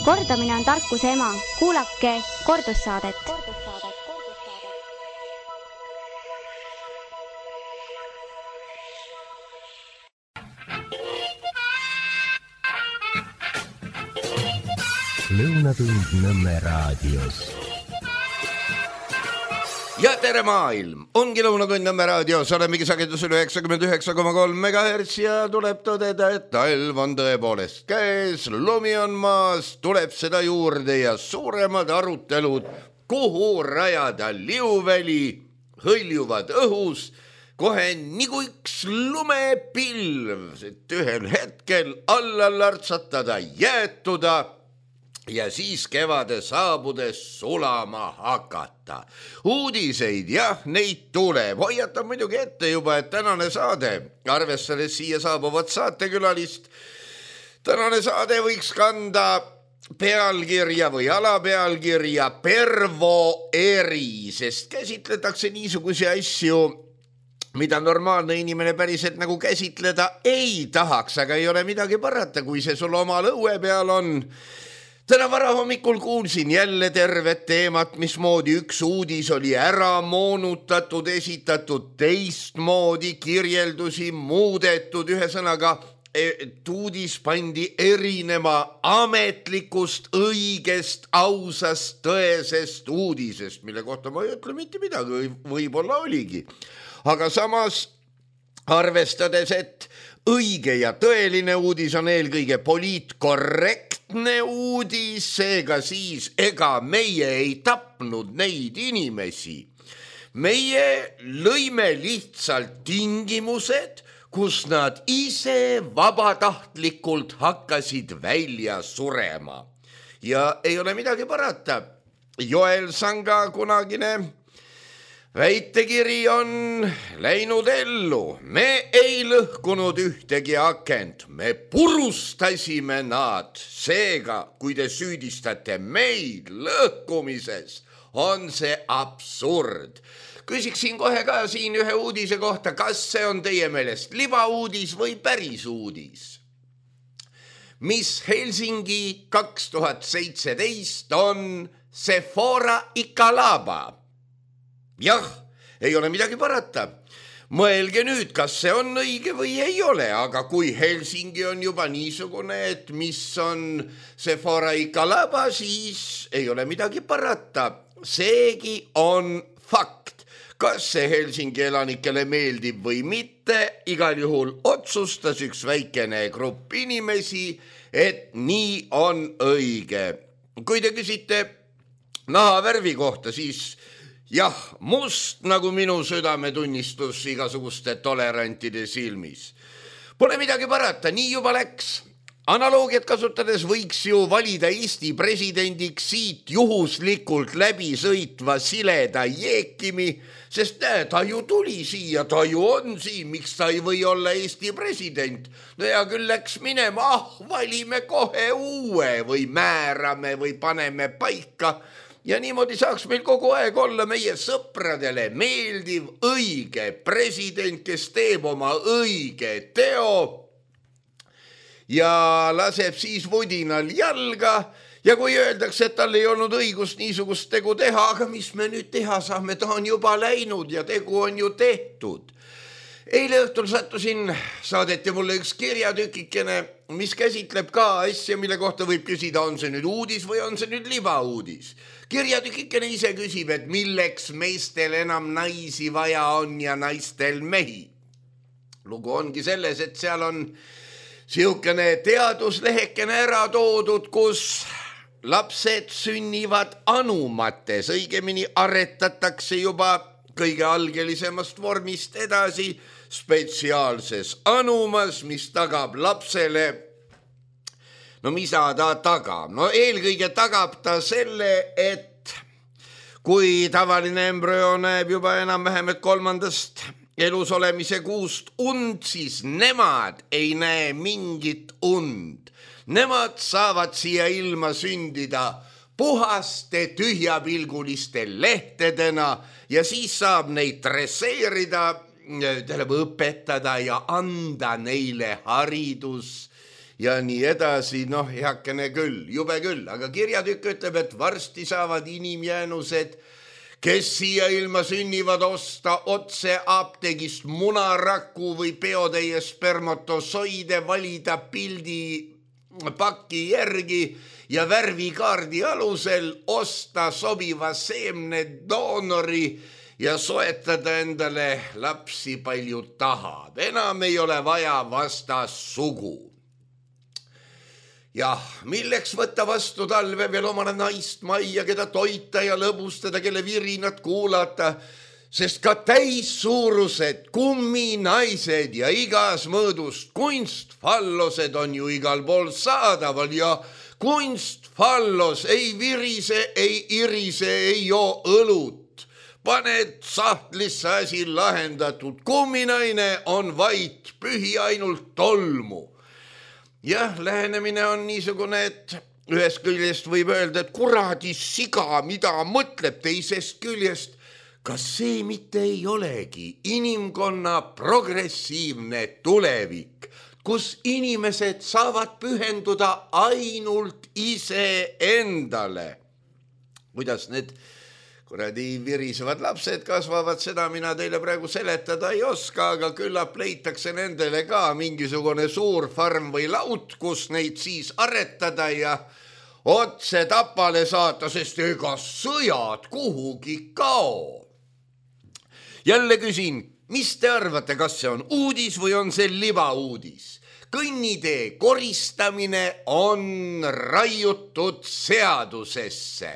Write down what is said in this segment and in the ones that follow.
Kordamine on tarkuse ema. Kuulake kordussaadet. Lõunatund Nõmme raadios. Ja tere maailm! Ongi Lõunatund Nõmme raadios. Olemegi sagedusel 99,3 MHz ja tuleb tõdeda, et talv on tõepoolest käes, lumi on maas, tuleb seda juurde ja suuremad arutelud, kuhu rajada liuväli, hõljuvad õhus, kohe nagu üks lumepilv, et ühel hetkel alla lartsatada, jäätuda ja siis kevade saabudes sulama hakata. Uudiseid, jah, neid tuleb. Hoiatan muidugi ette juba, et tänane saade, arvestades siia saabuvat saatekülalist, tänane saade võiks kanda pealkirja või alapealkirja Pervo eri, sest käsitletakse niisuguse asju, mida normaalne inimene päriselt nagu käsitleda ei tahaks, aga ei ole midagi parata, kui see sul oma lõue peal on. Täna varahommikul kuulsin jälle tervet teemat, mismoodi üks uudis oli ära moonutatud, esitatud teistmoodi, kirjeldusi muudetud, ühesõnaga, uudis pandi erinema ametlikust, õigest, ausast, tõesest uudisest, mille kohta ma ei ütle mitte midagi, võib-olla oligi. Aga samas, arvestades, et õige ja tõeline uudis on eelkõige poliitkorrektne uudis, seega siis ega meie ei tapnud neid inimesi. Meie lõime lihtsalt tingimused, kus nad ise vabatahtlikult hakkasid välja surema. Ja ei ole midagi parata. Joel Sanga kunagine väitekiri on läinud ellu. Me ei lõhkunud ühtegi akent, me purustasime nad. Seega, kui te süüdistate meid lõhkumises, on see absurd. Küsiksin kohe ka siin ühe uudise kohta, kas see on teie meelest libauudis või päris uudis? Mis Helsingi 2017 on Sephora Ikalaba? Jah, ei ole midagi parata. Mõelge nüüd, kas see on õige või ei ole, aga kui Helsingi on juba niisugune, et mis on Sephora Ikalaba, siis ei ole midagi parata. Seegi on fakt. Kas see Helsingi elanikele meeldib või mitte, igal juhul otsustas üks väikene grupp inimesi, et nii on õige. Kui te küsite nahavärvi kohta, siis jah, must nagu minu südametunnistus igasuguste tolerantide silmis. Pole midagi parata, nii juba läks. Analoogiat kasutades võiks ju valida Eesti presidendiks siit juhuslikult läbi sõitva sileda Jeekimi, sest ta ju tuli siia, ta ju on siin, miks ta ei või olla Eesti president. No ja küll läks minema, valime kohe uue või määrame või paneme paika. Ja niimoodi saaks meil kogu aeg olla meie sõpradele meeldiv, õige president, kes teeb oma õige teo ja laseb siis vudinal jalga. Ja kui öeldakse, et tal ei olnud õigust niisugust tegu teha, aga mis me nüüd teha saame, ta on juba läinud ja tegu on ju tehtud. Eile õhtul sattusin, saadeti mulle üks kirjatükikene, mis käsitleb ka asja, mille kohta võib küsida, on see nüüd uudis või on see nüüd libauudis. Kirjatükikene ise küsib, et milleks meestel enam naisi vaja on ja naistel mehi. Lugu ongi selles, et seal on siukene teaduslehekene ära toodud, kus lapsed sünnivad anumates, õigemini aretatakse juba kõige algelisemast vormist edasi spetsiaalses anumas, mis tagab lapsele. No mida ta tagab? No eelkõige tagab ta selle, et kui tavaline embrüo näeb juba enam-vähem et 3. elus olemise kuust und, siis nemad ei näe mingit und. Nemad saavad siia ilma sündida puhaste tühjapilguliste lehtedena ja siis saab neid dresseerida, õpetada ja anda neile haridus ja nii edasi, heakene küll, jube küll, aga kirjatükk ütleb, et varsti saavad inimjäänused, kes siia ilma sünnivad, osta otse apteegist munaraku või peotäie spermatosoide, valida pildi paki järgi ja värvikaardi alusel osta sobiva seemne doonori ja soetada endale lapsi palju tahab. Enam ei ole vaja vastassugu. Jah, milleks võtta vastu talve veel omale naist majja, keda toita ja lõbustada, kelle virinat kuulata, sest ka täissuurused kumminaised ja igas mõõdust kunstfallosed on ju igal pool saadaval ja kunstfallos ei virise, ei irise, ei joo õlut. Paned sahtlisse asi lahendatud, kumminaine on vait, pühi ainult tolmu. Jah, lähenemine on niisugune, et ühest küljest võib öelda, et kuradi siga, mida mõtleb, teisest küljest, kas see mitte ei olegi inimkonna progressiivne tulevik, kus inimesed saavad pühenduda ainult iseendale. Kuidas need kuradi virisevad lapsed kasvavad, seda mina teile praegu seletada ei oska, aga küllap leitakse nendele ka mingisugune suur farm või laut, kus neid siis aretada ja otse tapale saata, sest ega sõjad kuhugi kao. Jälle küsin, mis te arvate, kas see on uudis või on see libauudis? Kõnnitee koristamine on raiutud seadusesse.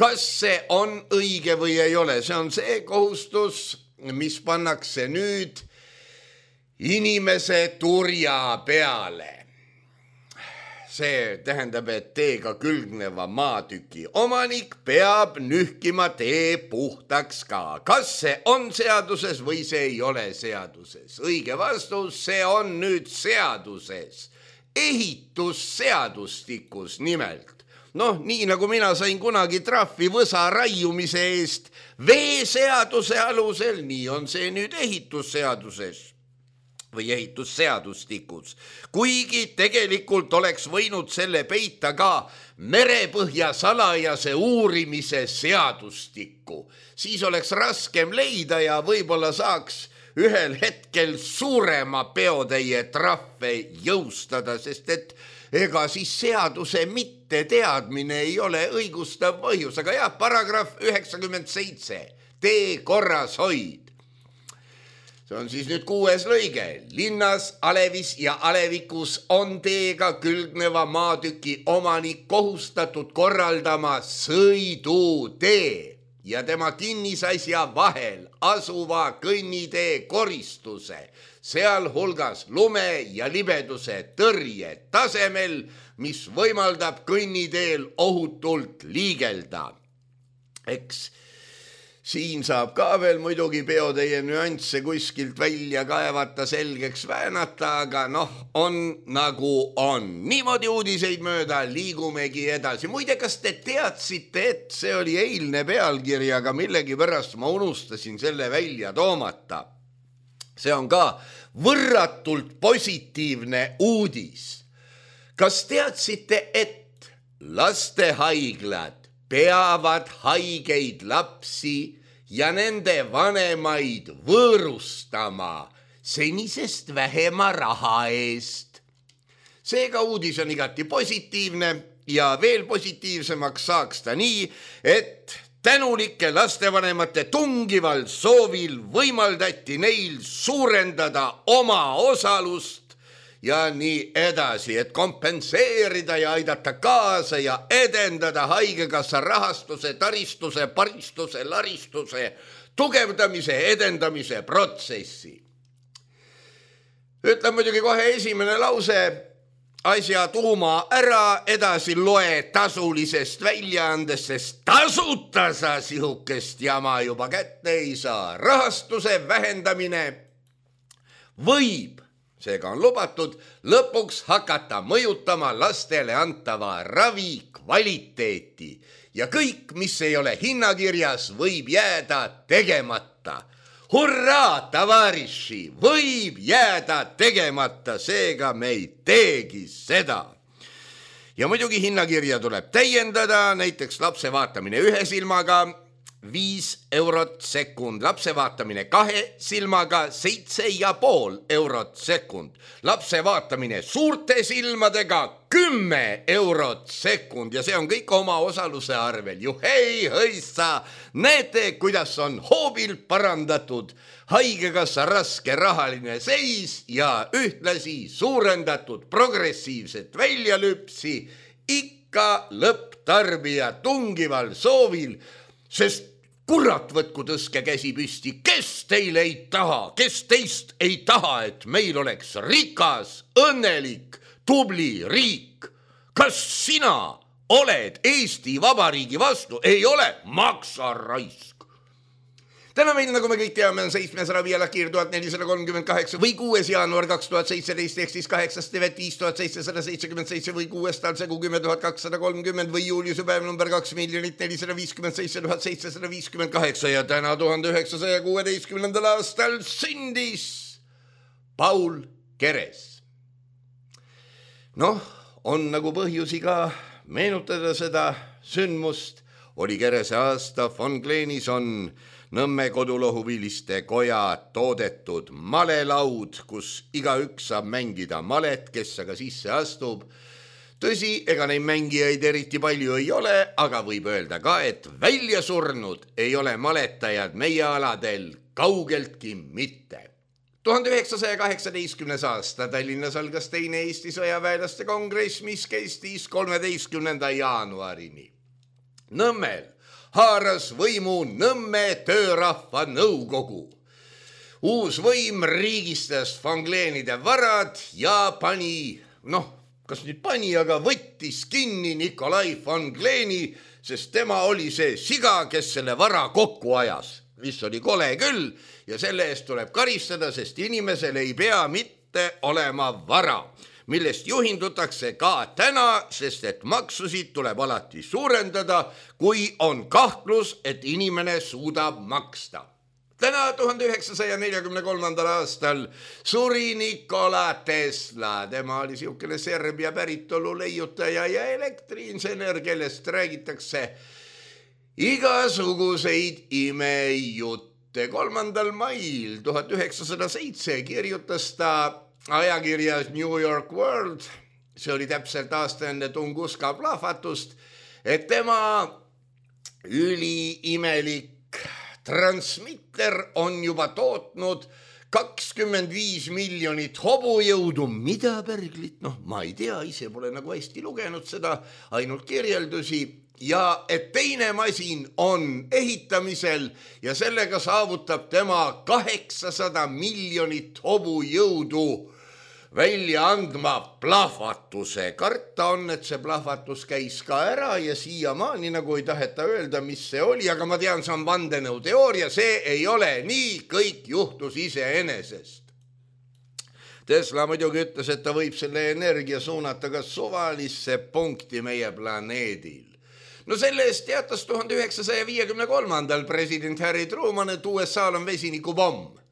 Kas see on õige või ei ole? See on see kohustus, mis pannakse nüüd inimese turja peale. See tähendab, et teega külgneva maatüki omanik peab nühkima tee puhtaks ka. Kas see on seaduses või see ei ole seaduses? Õige vastus, see on nüüd seaduses. Ehitusseadustikus nimelt. Nii nagu mina sain kunagi trahvi võsa raiumise eest veeseaduse alusel, nii on see nüüd ehitusseaduses või ehitusseadustikus. Kuigi tegelikult oleks võinud selle peita ka merepõhja salajase uurimise seadustikku. Siis oleks raskem leida ja võib-olla saaks ühel hetkel suurema peotäie trahve jõustada, sest et ega siis seaduse mitte teadmine ei ole õigustav põhjus, aga jah, paragrahv 97, tee korras hoid. See on siis nüüd 6. lõige. Linnas, alevis ja alevikus on teega külgneva maatüki omanik kohustatud korraldama sõidutee ja tema kinnisasja vahel asuva kõnnitee koristuse, sealhulgas lume ja libeduse tõrje tasemel, mis võimaldab kõnniteel ohutult liigelda. Eks siin saab ka veel muidugi peotäie nüansse kuskilt välja kaevata, selgeks väänata, aga on nagu on. Niimoodi uudiseid mööda liigumegi edasi. Muide, kas te teadsite, et see oli eilne pealkiri, aga millegipärast ma unustasin selle välja toomata. See on ka võrratult positiivne uudis. Kas teadsite, et lastehaiglad peavad haigeid lapsi ja nende vanemaid võõrustama senisest vähema raha eest? Seega uudis on igati positiivne ja veel positiivsemaks saaks ta nii, et tänulike lastevanemate tungival soovil võimaldati neil suurendada oma osalust ja nii edasi, et kompenseerida ja aidata kaasa ja edendada haigekassa rahastuse, taristuse, paristuse, laristuse, tugevdamise, edendamise protsessi. Ütleb muidugi kohe esimene lause, asja tuuma ära, edasi loe tasulisest väljaandest, sest tasuta sa sihukest jama juba kätte ei saa. Rahastuse vähendamine võib, seega on lubatud, lõpuks hakata mõjutama lastele antava ravi kvaliteeti ja kõik, mis ei ole hinnakirjas, võib jääda tegemata. Hurraa, tavariši, võib jääda tegemata, seega me ei teegi seda. Ja muidugi hinnakirja tuleb täiendada, näiteks lapse vaatamine 1 silmaga 5 eurot sekund, lapse vaatamine 2 silmaga 7,5 eurot sekund, lapse vaatamine suurte silmadega 10 eurot sekund ja see on kõik oma osaluse arvel. Juhei, hõissa, näete, kuidas on hoobil parandatud haigekassa raske rahaline seis ja ühtlasi suurendatud progressiivset väljalüpsi ikka lõpptarbija tungival soovil, sest kurat, võtku tõske käsi püsti, kes teil ei taha, kes teist ei taha, et meil oleks rikas, õnnelik, tubli riik. Kas sina oled Eesti Vabariigi vastu? Ei ole, maksa raisk. Täna meil, nagu me kõik teame, on 705 lakir 1438 või 6. jaanuar 2017 ehk siis 8.5.5777 või 6. talsegu 10.230 või juuliuse päev number 2,457,758 ja täna 1916. aastal sündis Paul Keres. Noh, on nagu põhjusi ka meenutada seda sündmust. Oli Kerese aasta, von Kleenis on Nõmme kodulohuviliste koja toodetud malelaud, kus igaüks saab mängida malet, kes aga sisse astub. Tõsi, ega neid mängijaid eriti palju ei ole, aga võib öelda ka, et välja surnud ei ole maletajad meie aladel kaugeltki mitte. 1918. aasta Tallinnas algas teine Eesti sõjaväelaste kongress, mis kestis 13. jaanuarini. Nõmmel haaras võimu Nõmme töörahva nõukogu. Uus võim riigistas von Kleenide varad ja pani, kas nüüd pani, aga võttis kinni Nikolai von Kleeni, sest tema oli see siga, kes selle vara kokku ajas, mis oli kole küll ja selle eest tuleb karistada, sest inimesel ei pea mitte olema vara, millest juhindutakse ka täna, sest et maksusid tuleb alati suurendada, kui on kahtlus, et inimene suudab maksta. Täna 1943. aastal suri Nikola Tesla. Tema oli siukene Serbia päritolu leiutaja ja elektriinsener, kellest räägitakse igasuguseid imejutte. 3. mail 1907 kirjutas ta ajakirjas New York World, see oli täpselt aasta enne Tunguska plahvatust, et tema üliimelik transmitter on juba tootnud 25 miljonit hobujõudu. Mida pärglit? Ma ei tea, ise pole nagu hästi lugenud seda, ainult kirjeldusi. Ja et teine masin on ehitamisel ja sellega saavutab tema 800 miljonit hobujõudu välja andma plahvatuse. Karta on, et see plahvatus käis ka ära ja siiamaani nagu ei taheta öelda, mis see oli, aga ma tean, see on vandenõuteooria, see ei ole nii, kõik juhtus iseenesest. Tesla muidugi ütles, et ta võib selle energia suunata ka suvalisse punkti meie planeedil. No selle eest teatas 1953. president Harry Truman, et USA-l on vesinikupomm.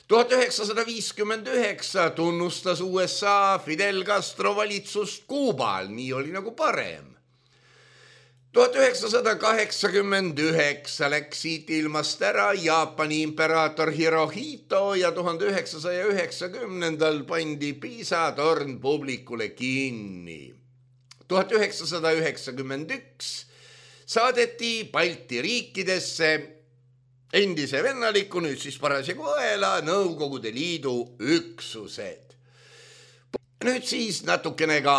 1959 tunnustas USA Fidel Castro valitsust Kuubal, nii oli nagu parem. 1989 läks siit ilmast ära Jaapani imperaator Hirohito ja 1990 pandi Piisa torn publikule kinni. 1991 saadeti Balti riikidesse endise vennaliku, nüüd siis parasjagu õela Nõukogude Liidu üksused. Nüüd siis natukene ka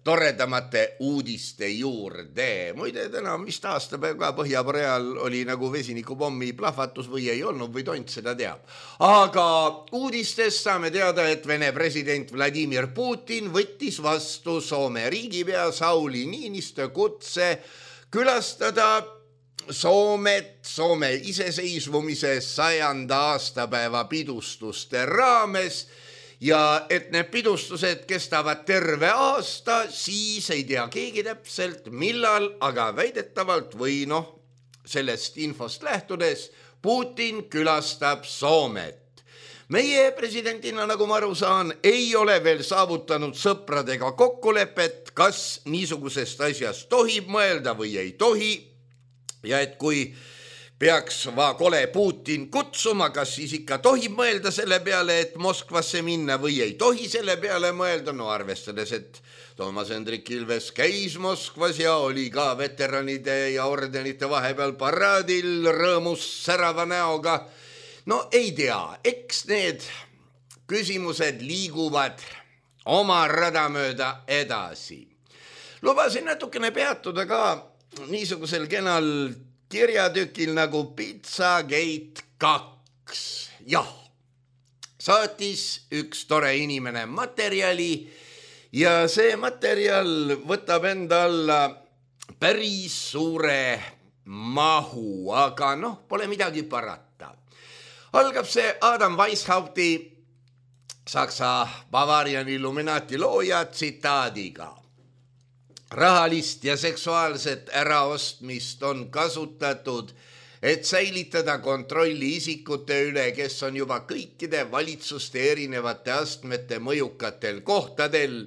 toredamate uudiste juurde. Muide, täna vist aastapäev ka Põhja-Koreal oli nagu vesinikupommi plahvatus või ei olnud või tont seda teab. Aga uudistest saame teada, et Vene president Vladimir Putin võttis vastu Soome riigipea Sauli Niinistö kutse külastada Soomet Soome iseseisvumise 100. aastapäeva pidustuste raames ja et need pidustused kestavad terve aasta, siis ei tea keegi täpselt millal, aga väidetavalt või sellest infost lähtudes Putin külastab Soomet. Meie presidendina, nagu ma aru saan, ei ole veel saavutanud sõpradega kokkulepet, kas niisugusest asjast tohib mõelda või ei tohi. Ja et kui peaks kole Putin kutsuma, kas siis ikka tohib mõelda selle peale, et Moskvasse minna või ei tohi selle peale mõelda. No arvestades, et Toomas Hendrik Ilves käis Moskvas ja oli ka veteranide ja ordenite vahepeal paraadil rõõmus särava näoga. No ei tea, eks need küsimused liiguvad oma rada mööda edasi. Lubasin natukene peatuda ka niisugusel kenal kirjatükil nagu Pizzagate 2. Jah, saatis üks tore inimene materjali ja see materjal võtab enda alla päris suure mahu, aga pole midagi parata. Algab see Adam Weishaupi, Saksa Bavarian Illuminati looja tsitaadiga. Rahalist ja seksuaalset äraostmist on kasutatud, et säilitada kontrolli isikute üle, kes on juba kõikide valitsuste erinevate astmete mõjukatel kohtadel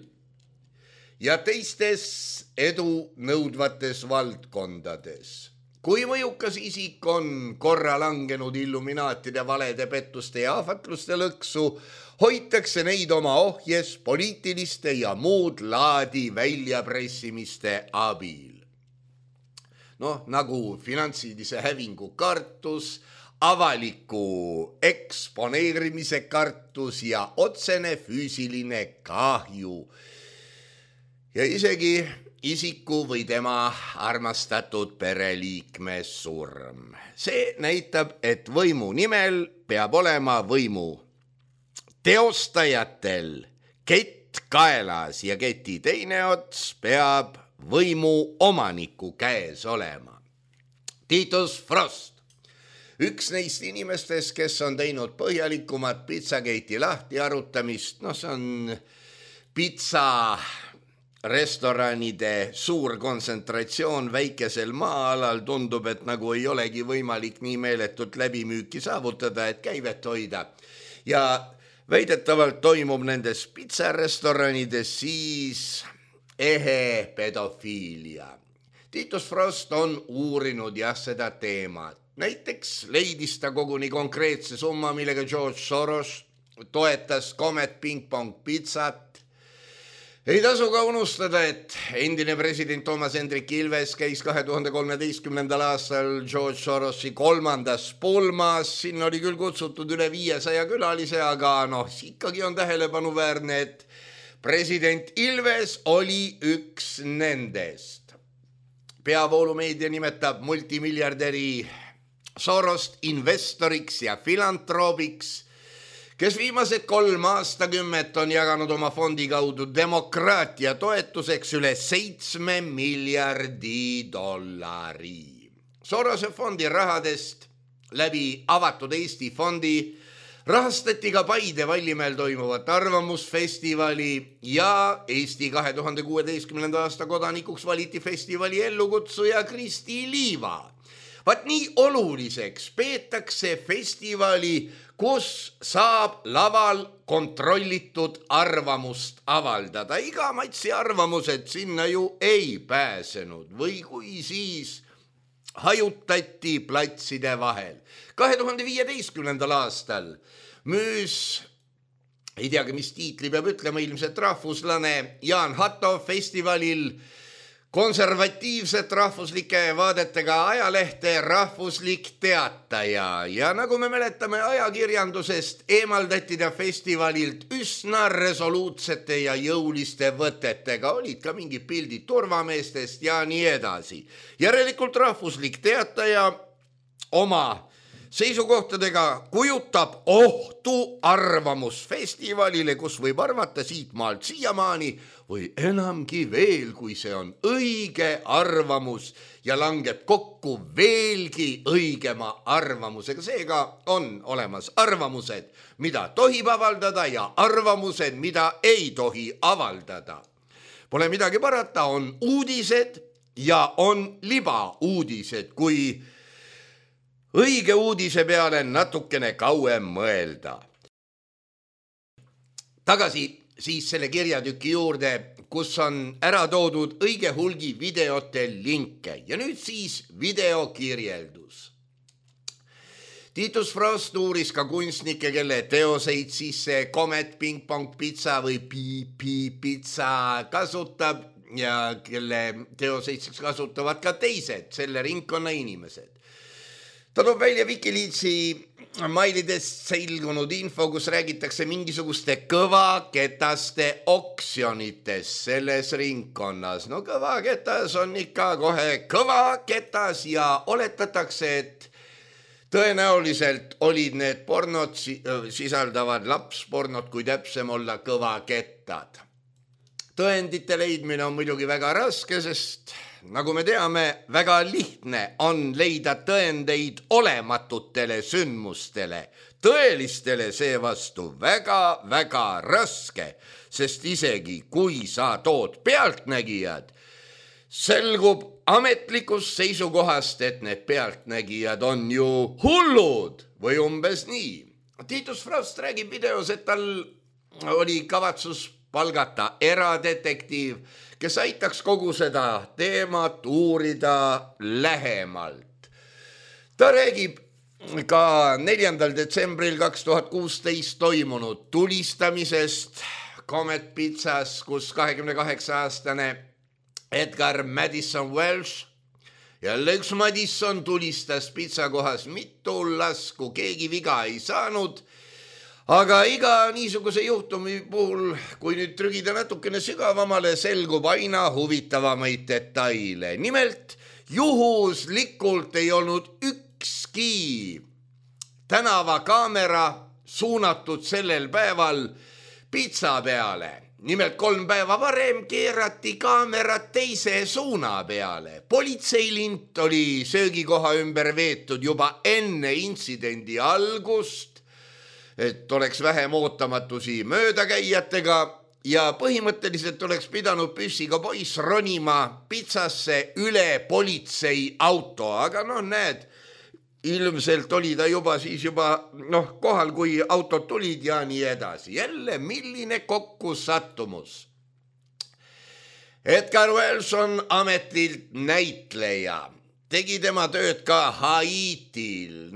ja teistes edu nõudvates valdkondades. Kui mõjukas isik on korra langenud illuminaatide valede pettuste ja ahvatluste lõksu, hoitakse neid oma ohjes poliitiliste ja muud laadi väljapressimiste abil. Nagu finantsilise hävingu kartus, avaliku eksponeerimise kartus ja otsene füüsiline kahju. Ja isegi isiku või tema armastatud pereliikme surm. See näitab, et võimu nimel peab olema võimu teostajatel kett kaelas ja keti teine ots peab võimu omaniku käes olema. Titus Frost, üks neist inimestest, kes on teinud põhjalikumat Pizzagate'i lahti arutamist, see on pizza restoranide suur kontsentratsioon väikesel maa-alal, tundub, et nagu ei olegi võimalik nii meeletult läbimüüki saavutada, et käivet hoida. Ja väidetavalt toimub nendes pizzarесtoranides siis ehe pedofiilia. Titus Frost on uurinud seda teemat. Näiteks leidis ta koguni konkreetse summa, millega George Soros toetas Comet Ping Pong pizzat. Ei tasu ka unustada, et endine president Toomas Hendrik Ilves käis 2013. aastal George Sorosi 3. pulmas. Sinna oli küll kutsutud üle 500 külalise, aga ikkagi on tähelepanuväärne, et president Ilves oli üks nendest. Peavoolumeedia nimetab multimiljardäri Sorost investoriks ja filantroobiks, kes viimased 3 aastakümmet on jaganud oma fondi kaudu demokraatia toetuseks üle 7 miljardi dollari. Sorose fondi rahadest läbi avatud Eesti fondi rahastati ka Paide Vallimäel toimuvat arvamusfestivali ja Eesti 2016. aasta kodanikuks valiti festivali ellukutsuja Kristi Liiva. Vaat nii oluliseks peetakse festivali, kus saab laval kontrollitud arvamust avaldada. Iga matsi arvamused sinna ju ei pääsenud või kui siis hajutati platside vahel. 2015. aastal müüs, ei teagi mis tiitli peab ütlema, ilmselt rahvuslane Jaan Hatto festivalil konservatiivset rahvuslike vaadetega ajalehte Rahvuslik Teataja ja nagu me mäletame ajakirjandusest, eemaldati ta festivalilt üsna resoluutsete ja jõuliste võtetega, olid ka mingid pildid turvameestest ja nii edasi. Järelikult Rahvuslik Teataja oma seisukohtadega kujutab ohtu arvamusfestivalile, kus võib arvata siit maalt siiamaani või enamgi veel, kui see on õige arvamus ja langeb kokku veelgi õigema arvamusega. Seega on olemas arvamused, mida tohib avaldada ja arvamused, mida ei tohi avaldada. Pole midagi parata, on uudised ja on libauudised, kui õige uudise peale natukene kauem mõelda. Tagasi siis selle kirjatüki juurde, kus on ära toodud õige hulgi videote linke ja nüüd siis videokirjeldus. Titus Frost uuris ka kunstnikke, kelle teoseid siis see Comet Ping Pong Pizza või Pizza kasutab ja kelle teoseid siis kasutavad ka teised, selle ringkonna inimesed. Ta toob välja Wikileaksi mailidest selgunud info, kus räägitakse mingisuguste kõvaketaste oksjonitest selles ringkonnas. No kõvaketas on ikka kohe kõvaketas ja oletatakse, et tõenäoliselt olid need pornod sisaldavad lapspornod, kui täpsem olla kõvakettad. Tõendite leidmine on muidugi väga raske, sest nagu me teame, väga lihtne on leida tõendeid olematutele sündmustele. Tõelistele seevastu väga raske, sest isegi kui sa tood pealtnägijad, selgub ametlikust seisukohast, et need pealtnägijad on ju hullud või umbes nii. Titus Frost räägib videos, et tal oli kavatsus palgata eradetektiiv, kes aitaks kogu seda teemat uurida lähemalt. Ta räägib ka 4. detsembril 2016 toimunud tulistamisest Comet Pizzas, kus 28-aastane Edgar Madison Welsh, jälle üks Madison, tulistas pizzakohas mitu lasku, keegi viga ei saanud. Aga iga niisuguse juhtumi puhul, kui nüüd trügida natukene sügavamale, selgub aina huvitavamaid detaile. Nimelt, juhuslikult ei olnud ükski tänavakaamera suunatud sellel päeval pitsa peale. Nimelt 3 päeva varem keerati kaamerad teise suuna peale. Politseilint oli söögikoha ümber veetud juba enne intsidendi algust, et oleks vähem ootamatusi möödakäijatega ja põhimõtteliselt oleks pidanud püssiga poiss ronima pitsasse üle politsei auto, aga näed, ilmselt oli ta juba kohal, kui autod tulid ja nii edasi. Jälle, milline kokkusattumus. Edgar Welsh on ametilt näitleja. Tegi tema tööd ka Haitil.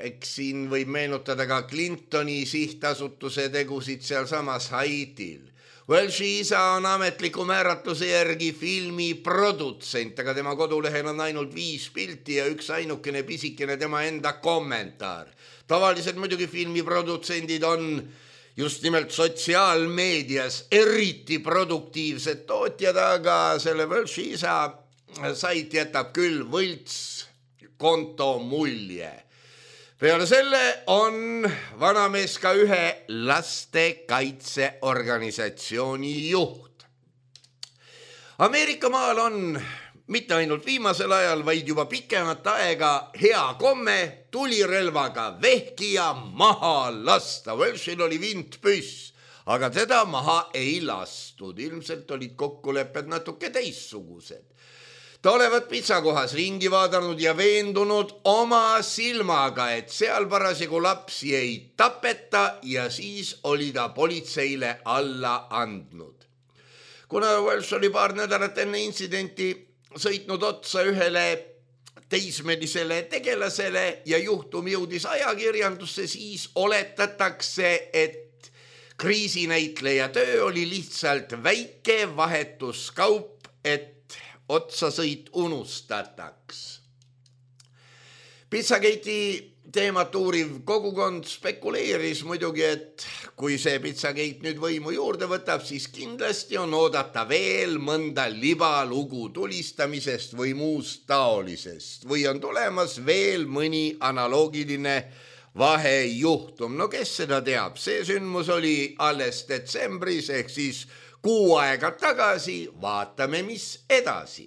Eks siin võib meenutada ka Clintoni sihtasutuse tegusid seal samas Haitil. Welshi isa on ametliku määratluse järgi filmi produtsent, aga tema kodulehel on ainult 5 pilti ja üks ainukene pisikene tema enda kommentaar. Tavaliselt muidugi filmiprodutsendid on just nimelt sotsiaalmeedias eriti produktiivsed tootjad, aga selle Welshi isa sait jätab küll võlts konto mulje. Peale selle on vanamees ka ühe lastekaitseorganisatsiooni juht. Ameerika maal on mitte ainult viimasel ajal, vaid juba pikemat aega hea komme tulirelvaga vehkija maha lasta. Welshil oli vintpüss, aga teda maha ei lastud. Ilmselt olid kokkulepped natuke teistsugused. Ta olevat pitsakohas ringi vaadanud ja veendunud oma silmaga, et seal parasjagu lapsi ei tapeta ja siis oli ta politseile alla andnud. Kuna Welsh oli paar nädalat enne intsidenti sõitnud otsa ühele teismelisele tegelasele ja juhtum jõudis ajakirjandusse, siis oletatakse, et kriisinäitleja töö oli lihtsalt väike vahetuskaup, et otsasõit unustataks. Pizzagate'i teemat uuriv kogukond spekuleeris muidugi, et kui see Pizzagate nüüd võimu juurde võtab, siis kindlasti on oodata veel mõnda libalugu tulistamisest või muust taolisest või on tulemas veel mõni analoogiline vahejuhtum. Kes seda teab? See sündmus oli alles detsembris ehk siis kuu aega tagasi, vaatame, mis edasi.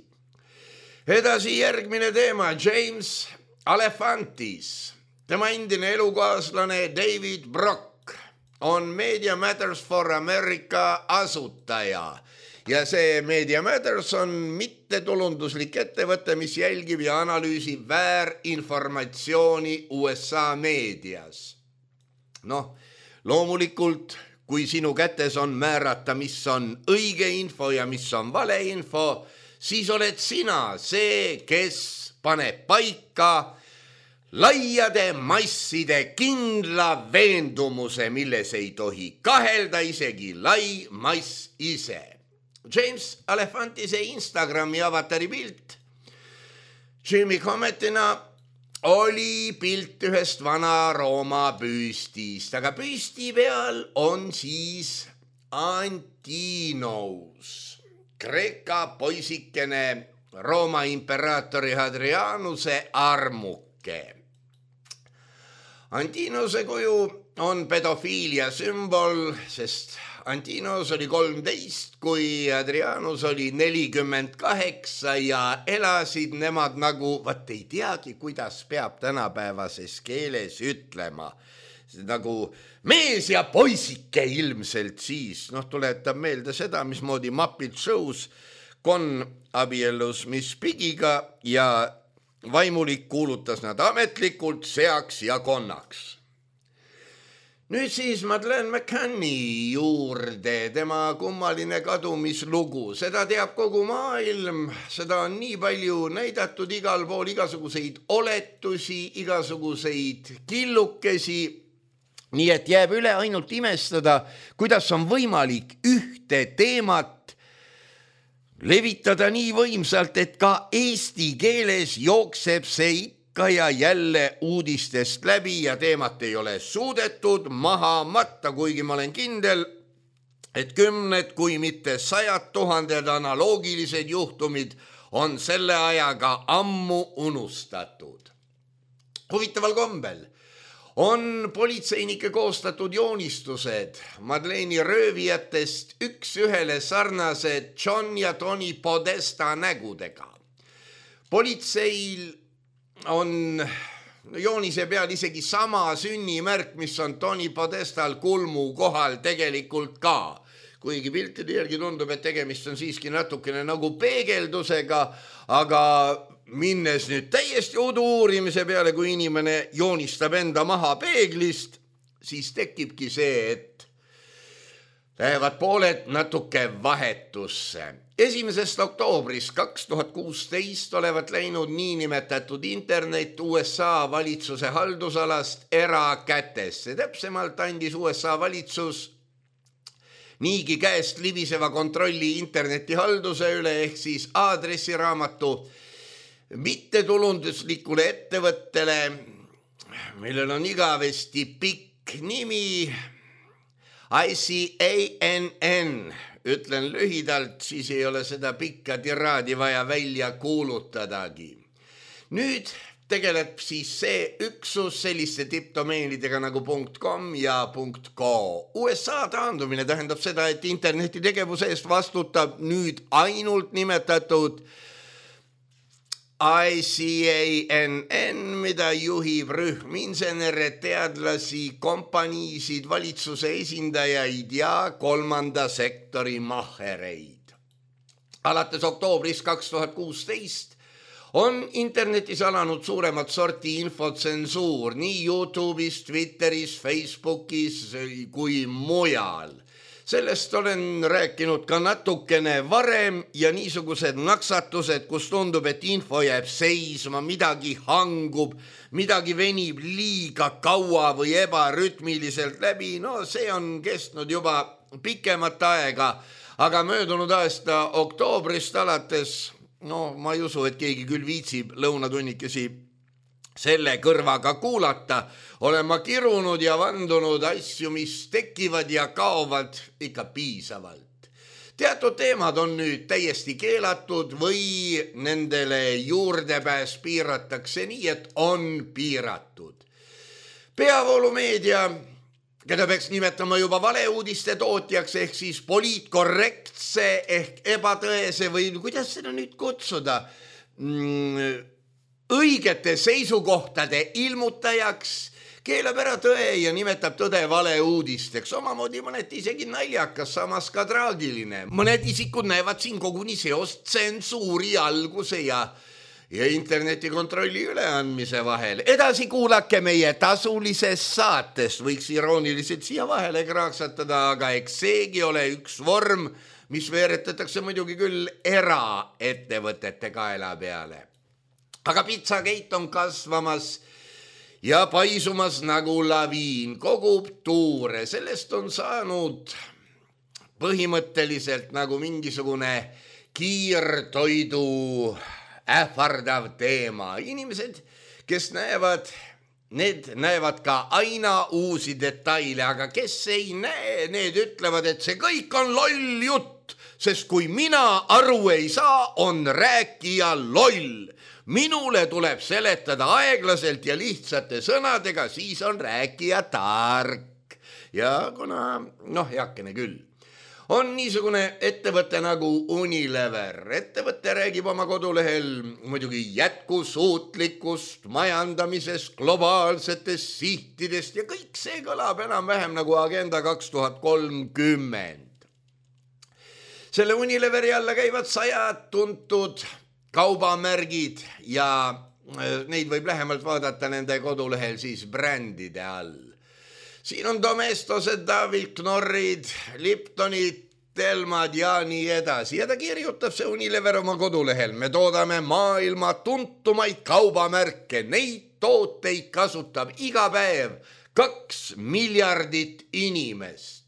Edasi järgmine teema, James Alefantis. Tema endine elukaaslane David Brock on Media Matters for America asutaja ja see Media Matters on mittetulunduslik ettevõte, mis jälgib ja analüüsib väärinformatsiooni USA meedias. Noh, loomulikult, kui sinu kätes on määrata, mis on õige info ja mis on valeinfo, siis oled sina see, kes paneb paika laiade masside kindla veendumuse, milles ei tohi kahelda isegi lai mass ise. James Alefantise Instagrami avatari pilt Jimmy Commetina oli pilt ühest vana Rooma püstist, aga püsti peal on siis Antinos, Kreeka poisikene Rooma imperaatori Hadrianuse armuke. Antinose kuju on pedofiilia sümbol, sest Antinos oli 13, kui Hadrianus oli 48 ja elasid nemad nagu, vaat ei teagi, kuidas peab tänapäevases keeles ütlema. Nagu mees ja poisike ilmselt siis, tuletab meelde seda, mismoodi Muppet Shows Con abiellus Miss Piggiga ja vaimulik kuulutas nad ametlikult seaks ja konnaks. Nüüd siis Madeleine McCanni juurde, tema kummaline kadumislugu. Seda teab kogu maailm, seda on nii palju näidatud igal pool, igasuguseid oletusi, igasuguseid killukesi. Nii et jääb üle ainult imestada, kuidas on võimalik ühte teemat levitada nii võimsalt, et ka eesti keeles jookseb see ikka ja jälle uudistest läbi ja teemat ei ole suudetud maha matta, kuigi ma olen kindel, et 10, kui mitte 100 000 analoogilised juhtumid on selle ajaga ammu unustatud. Huvitaval kombel on politseinike koostatud joonistused Madeleine'i röövijatest üks ühele sarnased John ja Tony Podesta nägudega. Politseil on joonise peal isegi sama sünnimärk, mis on Tony Podestal kulmu kohal tegelikult ka. Kuigi piltide järgi tundub, et tegemist on siiski natukene nagu peegeldusega, aga minnes nüüd täiesti udu uurimise peale, kui inimene joonistab enda maha peeglist, siis tekibki see, et lähevad pooled natuke vahetusse. 1. oktoobrist 2016 olevat läinud niinimetatud internet USA valitsuse haldusalast erakätesse. Täpsemalt andis USA valitsus niigi käest libiseva kontrolli internetihalduse üle ehk siis aadressiraamatu mittetulunduslikule ettevõttele, millel on igavesti pikk nimi ICANN. Ütlen lühidalt, siis ei ole seda pikka tiraadi vaja välja kuulutadagi. Nüüd tegeleb siis see üksus selliste tippdomeenidega nagu .com ja .co. USA taandumine tähendab seda, et interneti tegevuse eest vastutab nüüd ainult nimetatud ICANN, mida juhib rühm insenere, teadlasi, kompaniisid, valitsuse esindajaid ja kolmanda sektori mahereid. Alates oktoobrist 2016 on internetis alanud suuremat sorti infotsensuur nii YouTube'is, Twitteris, Facebookis kui mujal. Sellest olen rääkinud ka natukene varem ja niisugused naksatused, kus tundub, et info jääb seisma, midagi hangub, midagi venib liiga kaua või ebarütmiliselt läbi. No see on kestnud juba pikemat aega, aga möödunud aasta oktoobrist alates, ma ei usu, et keegi küll viitsib lõunatunnikesi selle kõrvaga kuulata, olen ma kirunud ja vandunud asju, mis tekivad ja kaovad ikka piisavalt. Teatud teemad on nüüd täiesti keelatud või nendele juurdepääs piiratakse nii, et on piiratud. Peavoolumeedia, keda peaks nimetama juba valeuudiste tootjaks ehk siis poliitkorrektse ehk ebatõese või kuidas seda nüüd kutsuda, õigete seisukohtade ilmutajaks, keelab ära tõe ja nimetab tõde valeuudisteks, omamoodi mõneti isegi naljakas, samas ka traagiline. Mõned isikud näevad siin koguni seost tsensuuri alguse ja internetikontrolli üleandmise vahel. Edasi kuulake meie tasulisest saatest, võiks irooniliselt siia vahele kraaksatada, aga eks seegi ole üks vorm, mis veeretatakse muidugi küll eraettevõtete kaela peale. Aga Pizzagate on kasvamas ja paisumas nagu laviin, kogub tuure, sellest on saanud põhimõtteliselt nagu mingisugune kiirtoidu ähvardav teema. Inimesed, kes näevad, need näevad ka aina uusi detaile, aga kes ei näe, need ütlevad, et see kõik on loll jutt, sest kui mina aru ei saa, on rääkija loll. Minule tuleb seletada aeglaselt ja lihtsate sõnadega, siis on rääkija tark. Ja kuna, heakene küll, on niisugune ettevõte nagu Unilever. Ettevõte räägib oma kodulehel muidugi jätkusuutlikust majandamisest, globaalsetest sihtidest ja kõik see kõlab enam-vähem nagu Agenda 2030. Selle Unileveri alla käivad 100 tuntud kaubamärgid ja neid võib lähemalt vaadata nende kodulehel siis brändide all. Siin on Domestosed, David Knorrid, Liptonid, Telmad ja nii edasi. Ja ta kirjutab see Unilever oma kodulehel. Me toodame maailma tuntumaid kaubamärke. Neid tooteid kasutab iga päev 2 miljardit inimest.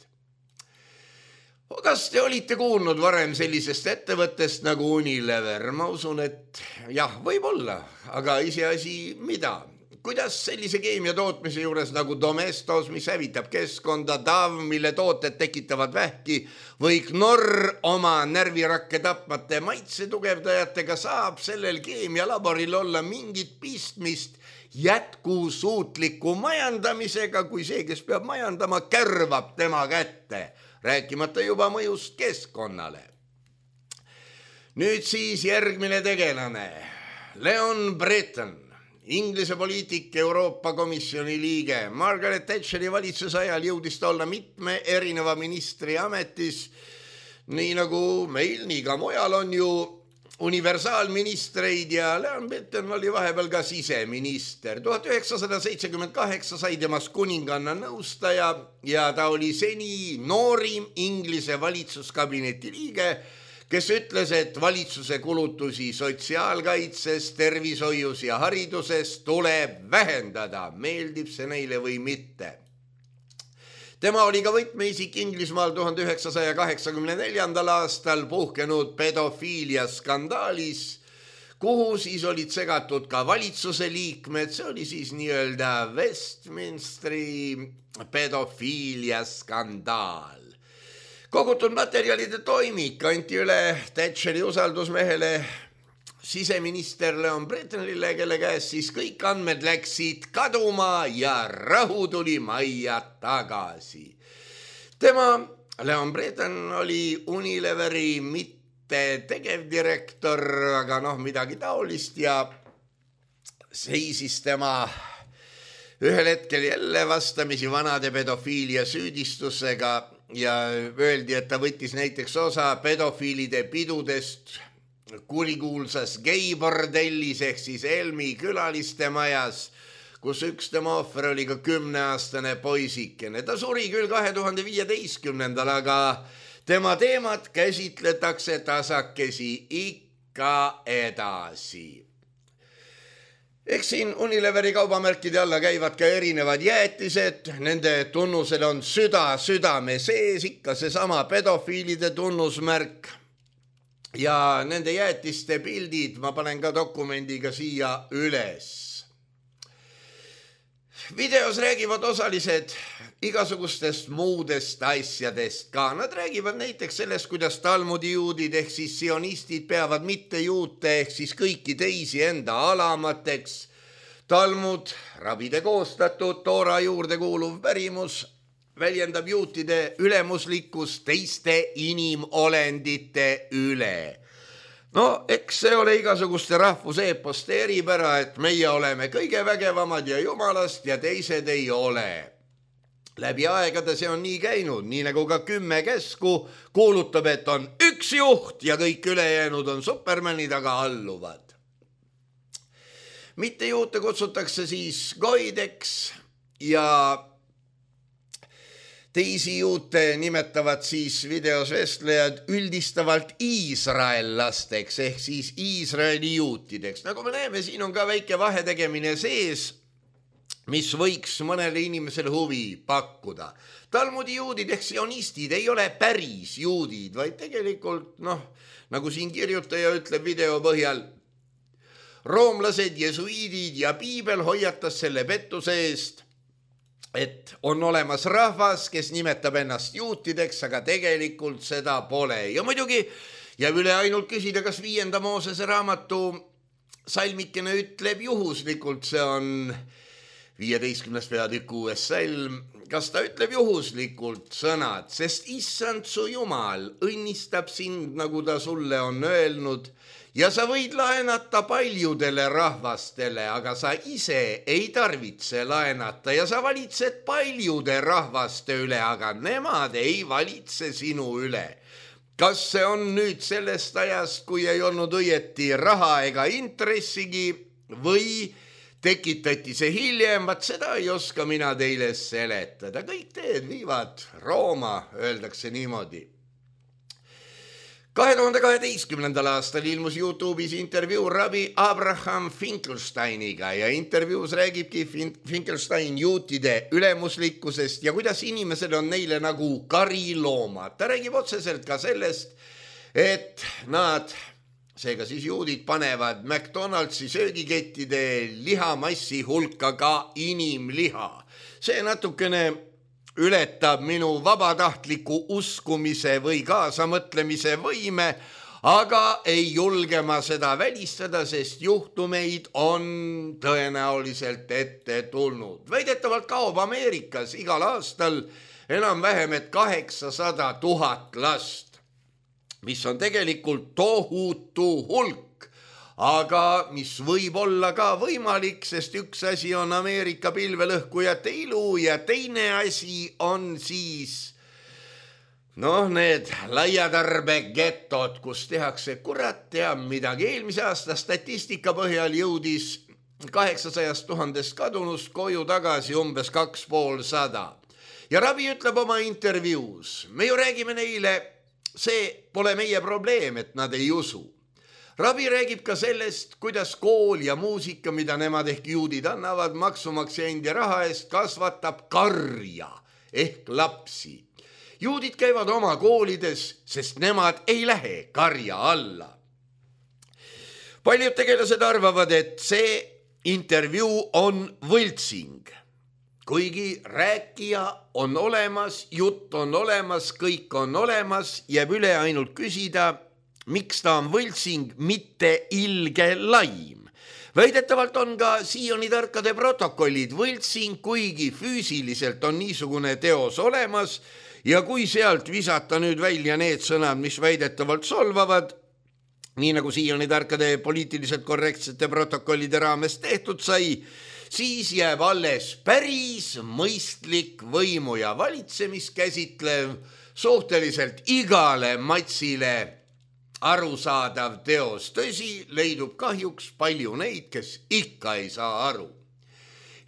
Kas te olite kuulnud varem sellisest ettevõttest nagu Unilever? Ma usun, et jah, võib-olla, aga iseasi mida? Kuidas sellise keemia tootmise juures nagu Domestos, mis hävitab keskkonda, Dav, mille tooted tekitavad vähki, või Knorr oma närvirakke tapmate maitsetugevdajatega saab sellel keemialaboril olla mingit pistmist jätkusuutliku majandamisega, kui see, kes peab majandama, kärvab tema kätte, rääkimata juba mõjust keskkonnale. Nüüd siis järgmine tegelane, Leon Breton, Inglise poliitik, Euroopa Komisjoni liige. Margaret Thatcheri valitsuse ajal jõudis ta olla mitme erineva ministri ametis, nii nagu meil, nii ka mujal on ju universaalministreid ja Leon Breton oli vahepeal ka siseminister. 1978 sai temast kuninganna nõustaja ja ta oli seni noorim Inglise valitsuskabineti liige, kes ütles, et valitsuse kulutusi sotsiaalkaitses, tervishoius ja hariduses tuleb vähendada, meeldib see neile või mitte. Tema oli ka võtmeisik Inglismaal 1984. aastal puhkenud pedofiilia skandaalis, kuhu siis olid segatud ka valitsuse liikmed, see oli siis nii-öelda Westminsteri pedofiilia skandaal. Kogutud materjalide toimik anti üle Thatcheri usaldusmehele siseminister Leon Bretonile, kelle käest siis kõik andmed läksid kaduma ja rahu tuli majja tagasi. Tema, Leon Breton, oli Unileveri mitte tegevdirektor, aga midagi taolist ja seisis tema ühel hetkel jälle vastamisi vanade pedofiilia süüdistusega ja öeldi, et ta võttis näiteks osa pedofiilide pidudest kurikuulsas geibordellis ehk siis Elmi külaliste majas, kus üks tema ohver oli ka 10-aastane poisikene. Ta suri küll 2015, aga tema teemat käsitletakse tasakesi ikka edasi. Eks siin Unileveri kaubamärkide alla käivad ka erinevad jäätised, nende tunnusel on südame sees, ikka seesama pedofiilide tunnusmärk ja nende jäätiste pildid ma panen ka dokumendiga siia üles. Videos räägivad osalised igasugustest muudest asjadest ka. Nad räägivad näiteks sellest, kuidas Talmudi juudid ehk siis sionistid peavad mitte juute ehk siis kõiki teisi enda alamateks. Talmud, rabide koostatud, Toora juurde kuuluv pärimus, väljendab juutide ülemuslikkust teiste inimolendite üle. No, eks see ole igasuguste rahvuseeposte eripära, et meie oleme kõige vägevamad ja jumalast ja teised ei ole. Läbi aegade see on nii käinud, nii nagu ka 10 käsku kuulutab, et on üks juht ja kõik ülejäänud on supermanid, aga alluvad. Mitte juute kutsutakse siis goideks ja teisi juute nimetavad siis videos vestlejad üldistavalt iisraellasteks ehk siis Iisraeli juutideks. Nagu me näeme, siin on ka väike vahetegemine sees, mis võiks mõnele inimesele huvi pakkuda. Talmudi juudid ehk sionistid ei ole päris juudid, vaid tegelikult, nagu siin kirjutaja ütleb video põhjal, roomlased, jesuiidid ja piibel hoiatas selle pettuse eest, et on olemas rahvas, kes nimetab ennast juutideks, aga tegelikult seda pole. Ja muidugi jääb üle ainult küsida, kas 5. Moosese raamatu salmikene ütleb juhuslikult, see on 15. peatükk 6. salm, kas ta ütleb juhuslikult sõnad, sest issand su Jumal õnnistab sind, nagu ta sulle on öelnud, ja sa võid laenata paljudele rahvastele, aga sa ise ei tarvitse laenata ja sa valitsed paljude rahvaste üle, aga nemad ei valitse sinu üle. Kas see on nüüd sellest ajast, kui ei olnud õieti raha ega intressigi või tekitati see hiljem, vaat seda ei oska mina teile seletada. Kõik teed viivad Rooma, öeldakse niimoodi. 2012. aastal ilmus YouTube'is intervjuu rabi Abraham Finkelsteiniga ja intervjuus räägibki Finkelstein juutide ülemuslikkusest ja kuidas inimesed on neile nagu kariloomad. Ta räägib otseselt ka sellest, et nad, seega siis juudid, panevad McDonaldsi söögikettide lihamassi hulka ka inimliha. See natukene ületab minu vabatahtliku uskumise või kaasamõtlemise võime, aga ei julge ma seda välistada, sest juhtumeid on tõenäoliselt ette tulnud. Väidetavalt kaob Ameerikas igal aastal enam-vähem 800 000 last, mis on tegelikult tohutu hulk. Aga mis võib olla ka võimalik, sest üks asi on Ameerika pilvelõhkujate ilu ja teine asi on siis need laiatarbegetod, kus tehakse kurat teab midagi. Eelmise aasta statistika põhjal jõudis 800 000 kadunust koju tagasi umbes 250. Ja rabi ütleb oma intervjuus, me ju räägime neile, see pole meie probleem, et nad ei usu. Rabi räägib ka sellest, kuidas kool ja muusika, mida nemad ehk juudid annavad maksumaksja endi raha eest, kasvatab karja ehk lapsi. Juudid käivad oma koolides, sest nemad ei lähe karja alla. Paljud tegelased arvavad, et see intervjuu on võltsing. Kuigi rääkija on olemas, jutt on olemas, kõik on olemas, jääb üle ainult küsida, miks ta on võltsing, mitte ilge laim. Väidetavalt on ka Sioni tarkade protokollid võltsing, kuigi füüsiliselt on niisugune teos olemas ja kui sealt visata nüüd välja need sõnad, mis väidetavalt solvavad, nii nagu Sioni tarkade poliitiliselt korrektsete protokollide raames tehtud sai, siis jääb alles päris mõistlik võimu ja valitsemist käsitlev suhteliselt igale matsile arusaadav teos. Tõsi, leidub kahjuks palju neid, kes ikka ei saa aru.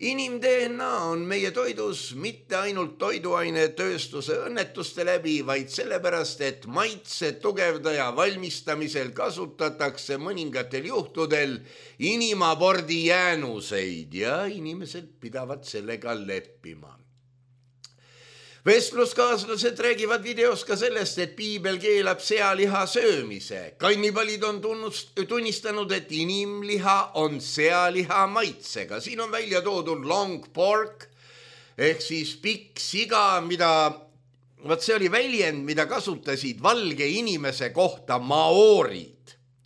Inim-DNA on meie toidus mitte ainult toiduainetööstuse õnnetuste läbi, vaid sellepärast, et maitse tugevdaja valmistamisel kasutatakse mõningatel juhtudel inimabordi jäänuseid ja inimesed pidavad sellega leppima. Vestluskaaslased räägivad videos ka sellest, et piibel keelab sealiha söömise. Kannibalid on tunnistanud, et inimliha on sealiha maitsega. Siin on välja toodud long pork ehk siis pikk siga, see oli väljend, mida kasutasid valge inimese kohta maoorid,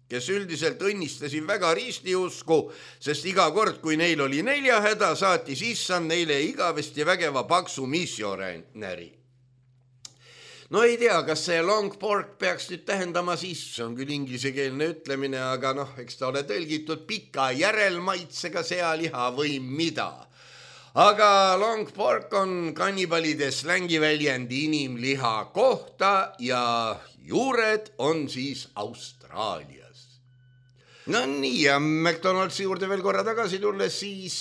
kes üldiselt õnnistasid väga ristiusku, sest iga kord, kui neil oli neljahäda, saatis issand neile igavesti vägeva paksu missionäri. no ei tea, kas see long pork peaks nüüd tähendama siis, see on küll inglisekeelne ütlemine, aga noh, eks ta ole tõlgitud pika järelmaitsega sealiha või mida. Aga long pork on kannibalide slängiväljend inimliha kohta ja juured on siis Austraalias. No nii, ja McDonaldsi juurde veel korra tagasi tulles siis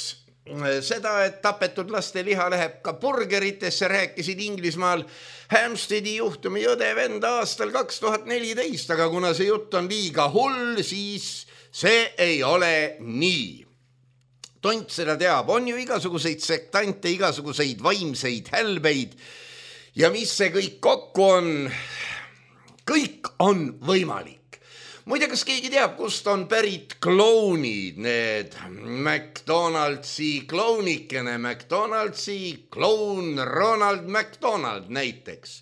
seda, et tapetud laste liha läheb ka burgeritesse, rääkisid Inglismaal Hampsteadi juhtumi õde-vend aastal 2014, aga kuna see jutt on liiga hull, siis see ei ole nii. Tont seda teab, on ju igasuguseid sektante, igasuguseid vaimseid hälbeid ja mis see kõik kokku on? Kõik on võimalik. Muide, kas keegi teab, kust on pärit klounid, need McDonaldsi kloonikene, McDonaldsi kloun Ronald McDonald näiteks.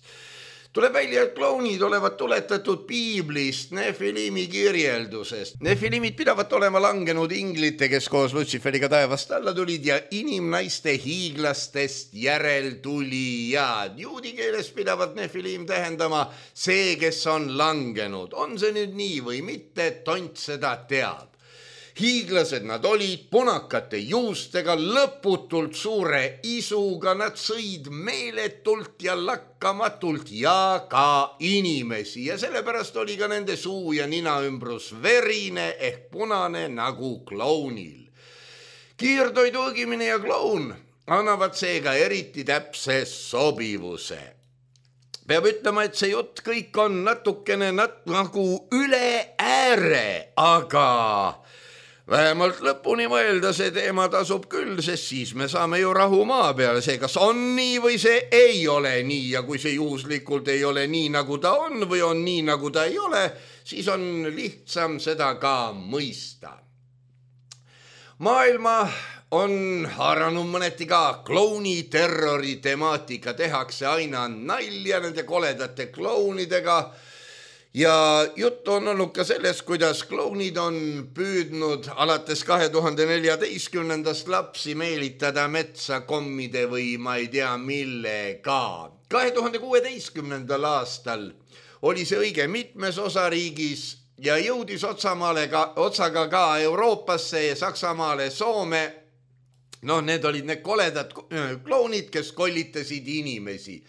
Tuleb välja, et klounid olevat tuletatud piiblist, Nefilimi kirjeldusest. Nefilimid pidavat olema langenud inglite, kes koos Lutsiferiga taevast alla tulid ja inimnaiste hiiglastest järeltulijad. Juudi keeles pidavat Nefilim tähendama see, kes on langenud. On see nüüd nii või mitte, Tont seda teab. Hiiglased nad olid, punakate juustega, lõputult suure isuga, nad sõid meeletult ja lakkamatult ja ka inimesi ja sellepärast oli ka nende suu ja nina ümbrus verine ehk punane nagu klounil. Kiirtoidu õgimine ja kloun annavad seega eriti täpse sobivuse. Peab ütlema, et see jutt kõik on natukene nagu üle ääre, aga vähemalt lõpuni mõelda see teema tasub küll, sest siis me saame ju rahu maa peale. See, kas on nii või see ei ole nii ja kui see juhuslikult ei ole nii, nagu ta on või on nii, nagu ta ei ole, siis on lihtsam seda ka mõista. Maailma on haaranud mõneti ka klouni terrori temaatika, tehakse aina nalja nende koledate klounidega. Ja jutt on olnud ka sellest, kuidas klounid on püüdnud alates 2014. lapsi meelitada metsa kommide või ma ei tea millega. 2016. aastal oli see õige mitmes osariigis ja jõudis otsaga ka Euroopasse ja Saksamaale, Soome. No need olid need koledad klounid, kes kollitasid inimesi.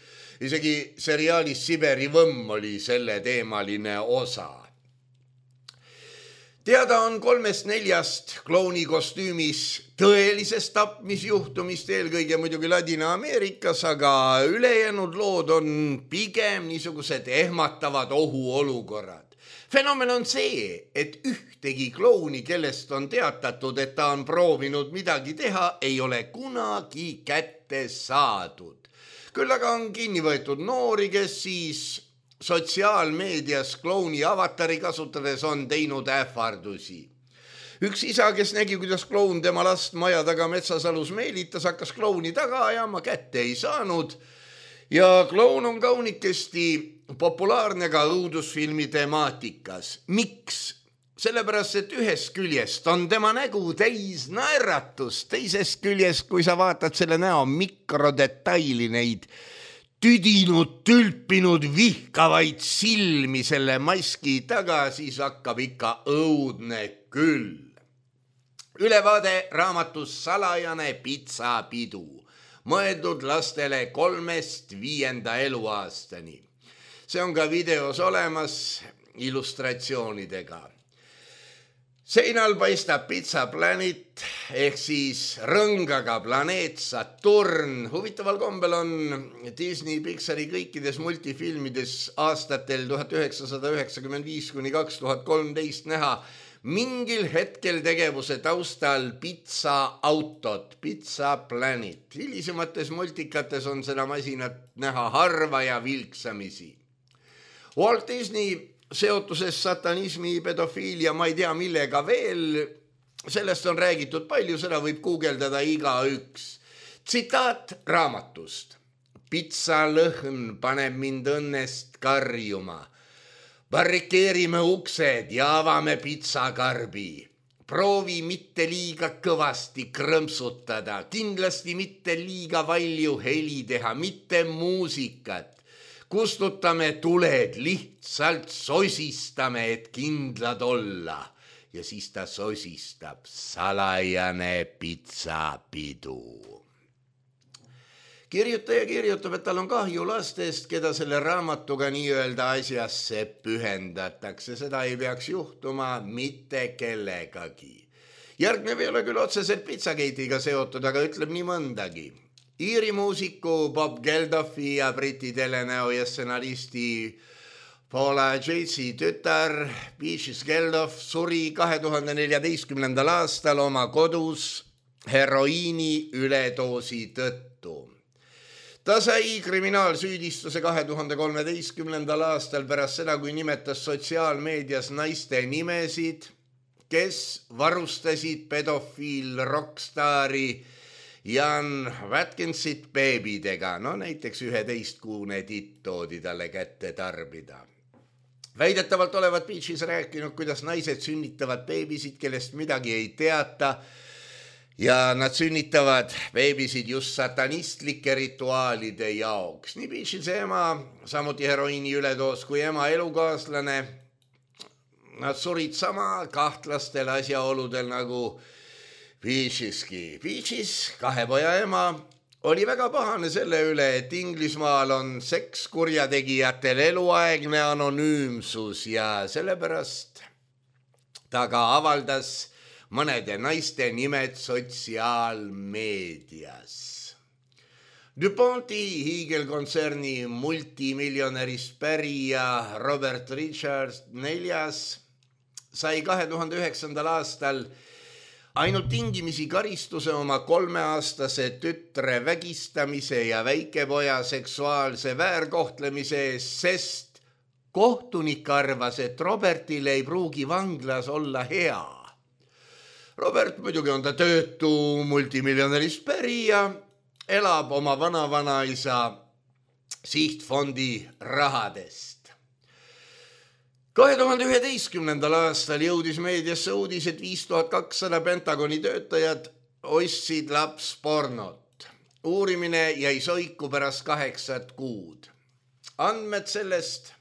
Isegi seriaalis Siberi võmm oli selle teemaline osa. Teada on 3-4 klouni kostüümis tõelisest tapmisjuhtumist, eelkõige muidugi Ladina-Ameerikas, aga ülejäänud lood on pigem niisugused ehmatavad ohuolukorrad. Fenomen on see, et ühtegi klouni, kellest on teatatud, et ta on proovinud midagi teha, ei ole kunagi kätte saadud. Küll aga on kinni võetud noori, kes siis sotsiaalmeedias klouni avatari kasutades on teinud ähvardusi. Üks isa, kes nägi, kuidas kloun tema last maja taga metsasalus meelitas, hakkas klouni taga ajama, kätte ei saanud. Ja kloun on kaunikesti populaarne ka õudusfilmi temaatikas. Miks? Sellepärast, et ühest küljest on tema nägu täis naeratust, teisest küljest, kui sa vaatad selle näo mikrodetaili, neid tüdinud, tülpinud, vihkavaid silmi selle maski taga, siis hakkab ikka õudne küll. Ülevaade raamatus Salajane pitsapidu, mõeldud lastele 3-5 eluaastani. See on ka videos olemas illustratsioonidega. Seinal paistab Pizza Planet ehk siis rõngaga planeet Saturn. Huvitaval kombel on Disney Pixari kõikides multifilmides aastatel 1995–2013 näha mingil hetkel tegevuse taustal pitsaautot, Pizza Planet. Hilisemates multikates on seda masinat näha harva ja vilksamisi. Walt Disney seotuses satanismi, pedofiilia, ma ei tea millega veel, sellest on räägitud palju, seda võib guugeldada igaüks. Tsitaat raamatust. Pitsalõhn paneb mind õnnest karjuma. Barrikeerime uksed ja avame pitsakarbi. Proovi mitte liiga kõvasti krõmpsutada, kindlasti mitte liiga palju heli teha, mitte muusikat. kustutame tuled, lihtsalt sosistame, et kindlad olla. Ja siis ta sosistab salajane pitsapidu. Kirjutaja kirjutab, et tal on kahju lastest, keda selle raamatuga nii-öelda asjasse pühendatakse. Seda ei peaks juhtuma mitte kellegagi. Järgnev ei ole küll otseselt Pizzagate'iga seotud, aga ütleb nii mõndagi. Iiri muusiku Bob Geldoffi ja Briti telenäo ja stsenaristi Paula Jaycee tütar Beatrice Geldof suri 2014. aastal oma kodus heroiini üledoosi tõttu. Ta sai kriminaalsüüdistuse 2013. aastal pärast seda, kui nimetas sotsiaalmeedias naiste nimesid, kes varustasid pedofiil rockstaari Jan Watkinsit beebidega. No näiteks 11-kuune titt toodi talle kätte tarbida. Väidetavalt olevat Beaches rääkinud, kuidas naised sünnitavad beebisid, kellest midagi ei teata. Ja nad sünnitavad beebisid just satanistlike rituaalide jaoks. Nii Beachise ema, samuti heroiini üledoos kui ema elukaaslane. Nad surid sama kahtlastel asjaoludel nagu Beacheski. Beaches, 2 poja ema, oli väga pahane selle üle, et Inglismaal on sekskurjategijatel eluaegne anonüümsus ja sellepärast ta ka avaldas mõnede naiste nimed sotsiaalmeedias. DuPonti hiigelkontserni multimiljonärist pärija Robert Richards IV sai 2009. aastal ainult tingimisi karistuse oma 3-aastase tütre vägistamise ja väikepoja seksuaalse väärkohtlemise eest, sest kohtunik arvas, et Robertil ei pruugi vanglas olla hea. Robert muidugi on ta töötu multimiljonärist pärija, elab oma vanavanaisa sihtfondi rahadest. 2011. aastal jõudis meediasse uudis, et 5200 Pentagoni töötajad ostsid lapspornot. Uurimine jäi soiku pärast 8 kuud. Andmed sellest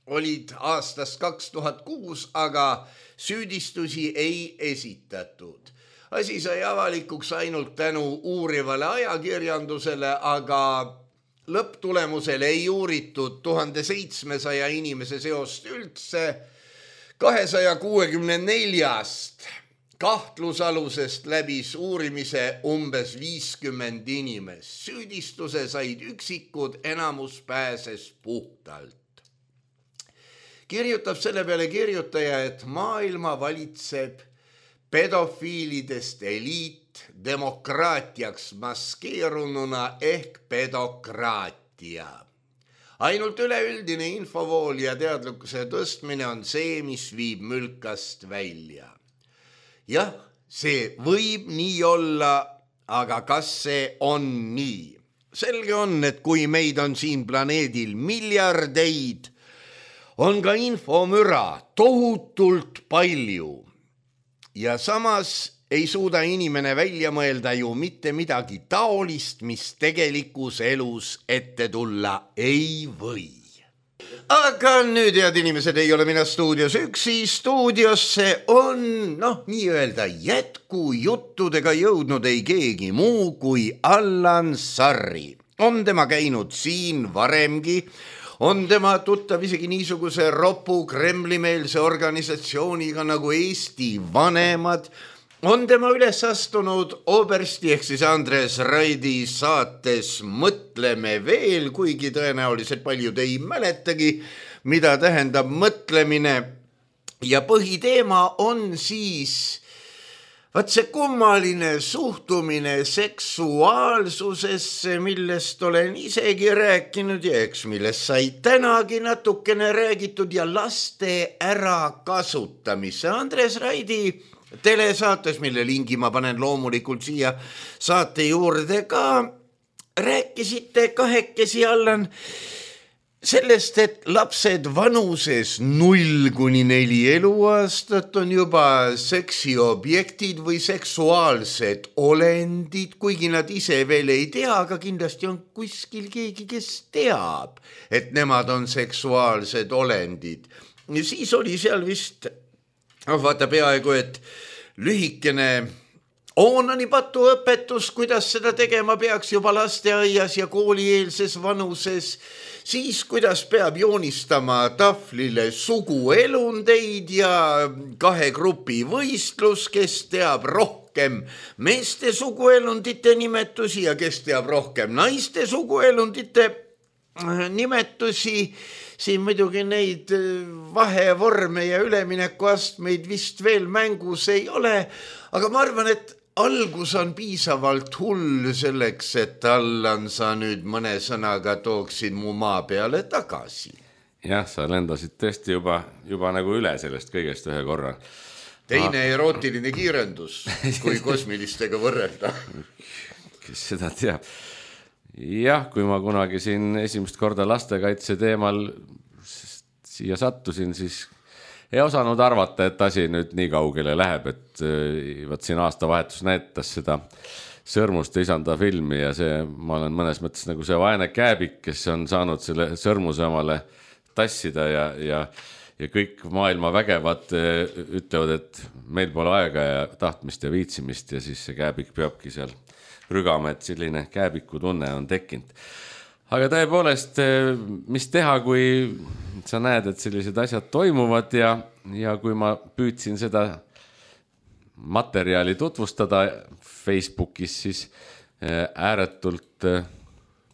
olid aastast 2006, aga süüdistusi ei esitatud. Asi sai avalikuks ainult tänu uurivale ajakirjandusele, aga lõpptulemusel ei uuritud 1700 inimese seost üldse. 264 kahtlusalusest läbis uurimise umbes 50 inimest. Süüdistuse said üksikud, enamus pääses puhtalt. Kirjutab selle peale kirjutaja, et maailma valitseb pedofiilidest eliit demokraatiaks maskeerununa ehk pedokraatia. Ainult üleüldine infovool ja teadlikkuse tõstmine on see, mis viib mülkast välja. Jah, see võib nii olla, aga kas see on nii? Selge on, et kui meid on siin planeedil miljardeid, on ka infomüra tohutult palju. Ja samas ei suuda inimene välja mõelda ju mitte midagi taolist, mis tegelikus elus ette tulla ei või. Aga nüüd, head inimesed, ei ole mina stuudios üksi. Stuudiosse on, nii-öelda jätkujuttudega jõudnud ei keegi muu kui Allan Sarri. On tema käinud siin varemgi. On tema tuttav isegi niisuguse ropu kremlimeelse organisatsiooniga nagu Eesti Vanemad. On tema üles astunud Obersti ehk siis Andres Raidi saates Mõtleme veel, kuigi tõenäoliselt paljud ei mäletagi, mida tähendab mõtlemine. Ja põhiteema on siis see kummaline suhtumine seksuaalsusesse, millest olen isegi rääkinud ja eks millest sai tänagi natukene räägitud ja laste ärakasutamisse. Andres Raidi telesaates, mille lingi ma panen loomulikult siia saate juurde ka, rääkisite kahekesi, Allan, sellest, et lapsed vanuses 0–4 eluaastat on juba seksiobjektid või seksuaalsed olendid, kuigi nad ise veel ei tea, aga kindlasti on kuskil keegi, kes teab, et nemad on seksuaalsed olendid. Ja siis oli seal vist, vaata peaaegu, et lühikene oonanipatu õpetus, kuidas seda tegema peaks juba lasteaias ja koolieelses vanuses, siis kuidas peab joonistama tahvlile suguelundeid ja 2 grupi võistlus, kes teab rohkem meeste suguelundite nimetusi ja kes teab rohkem naiste suguelundite nimetusi. Siin muidugi neid vahevorme ja üleminekuastmeid vist veel mängus ei ole, aga ma arvan, et algus on piisavalt hull selleks, et Allan, sa nüüd mõne sõnaga tooksid mu maa peale tagasi. Jah, sa lendasid tõesti juba nagu üle sellest kõigest ühe korra. Teine erootiline kiirendus, kui kosmilistega võrrelda. Kes seda teab? Jah, kui ma kunagi siin esimest korda lastekaitse teemal siia sattusin, siis ei osanud arvata, et asi nüüd nii kaugele läheb, et võt siin aastavahetus näitas seda Sõrmuste isanda filmi ja ma olen mõnes mõttes nagu see vaene kääbik, kes on saanud selle sõrmuse omale tassida ja kõik maailma vägevad ütlevad, et meil pole aega ja tahtmist ja viitsimist ja siis see kääbik peabki seal rügama, et selline kääbiku tunne on tekkinud. Aga tõepoolest, mis teha, kui sa näed, et sellised asjad toimuvad ja kui ma püüdsin seda materjali tutvustada Facebookis, siis ääretult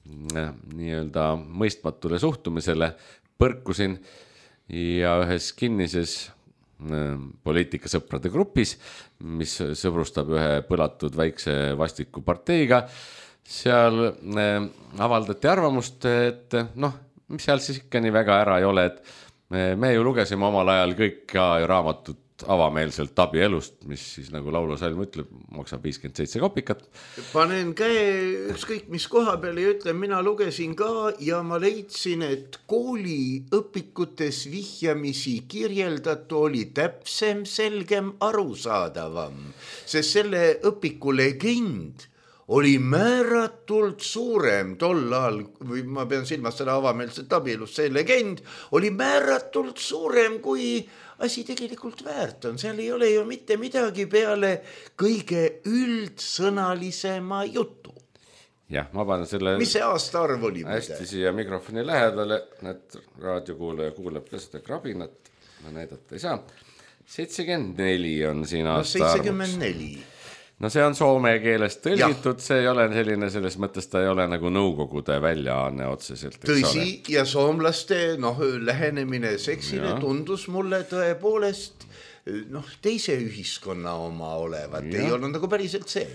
nii-öelda mõistmatule suhtumisele põrkusin ja ühes kinnises poliitikasõprade grupis, mis sõbrustab ühe põlatud väikse vastiku parteiga, seal avaldati arvamust, et mis seal siis ikka nii väga ära ei ole, et me ju lugesime omal ajal kõik ka raamatut avameelselt abielust, mis siis nagu laulusalm ütleb, maksab 57 kopikat. Panen käe ükskõik mis koha peale ja ütlen, mina lugesin ka ja ma leidsin, et kooliõpikutes vihjamisi kirjeldatu oli täpsem, selgem, arusaadavam, sest selle õpiku legend oli määratult suurem tol ajal, või ma pean silmas seda avameelset abielust, see legend oli määratult suurem kui asi tegelikult väärt on, seal ei ole ju mitte midagi peale kõige üldsõnalisema jutu. Jah, ma panen selle... Mis see aastaarv oli? Hästi siia mikrofoni lähedale, et raadiokuulaja kuuleb ka seda krabinat, ma näidata ei saa. 74 on siin aastaarvuks. 74. No see on soome keelest tõlgitud, see ei ole selline, selles mõttes ta ei ole nagu nõukogude väljaanne otseselt. Tõsi, ja soomlaste lähenemine seksile tundus mulle tõepoolest teise ühiskonna oma olevat, ei olnud nagu päriselt see.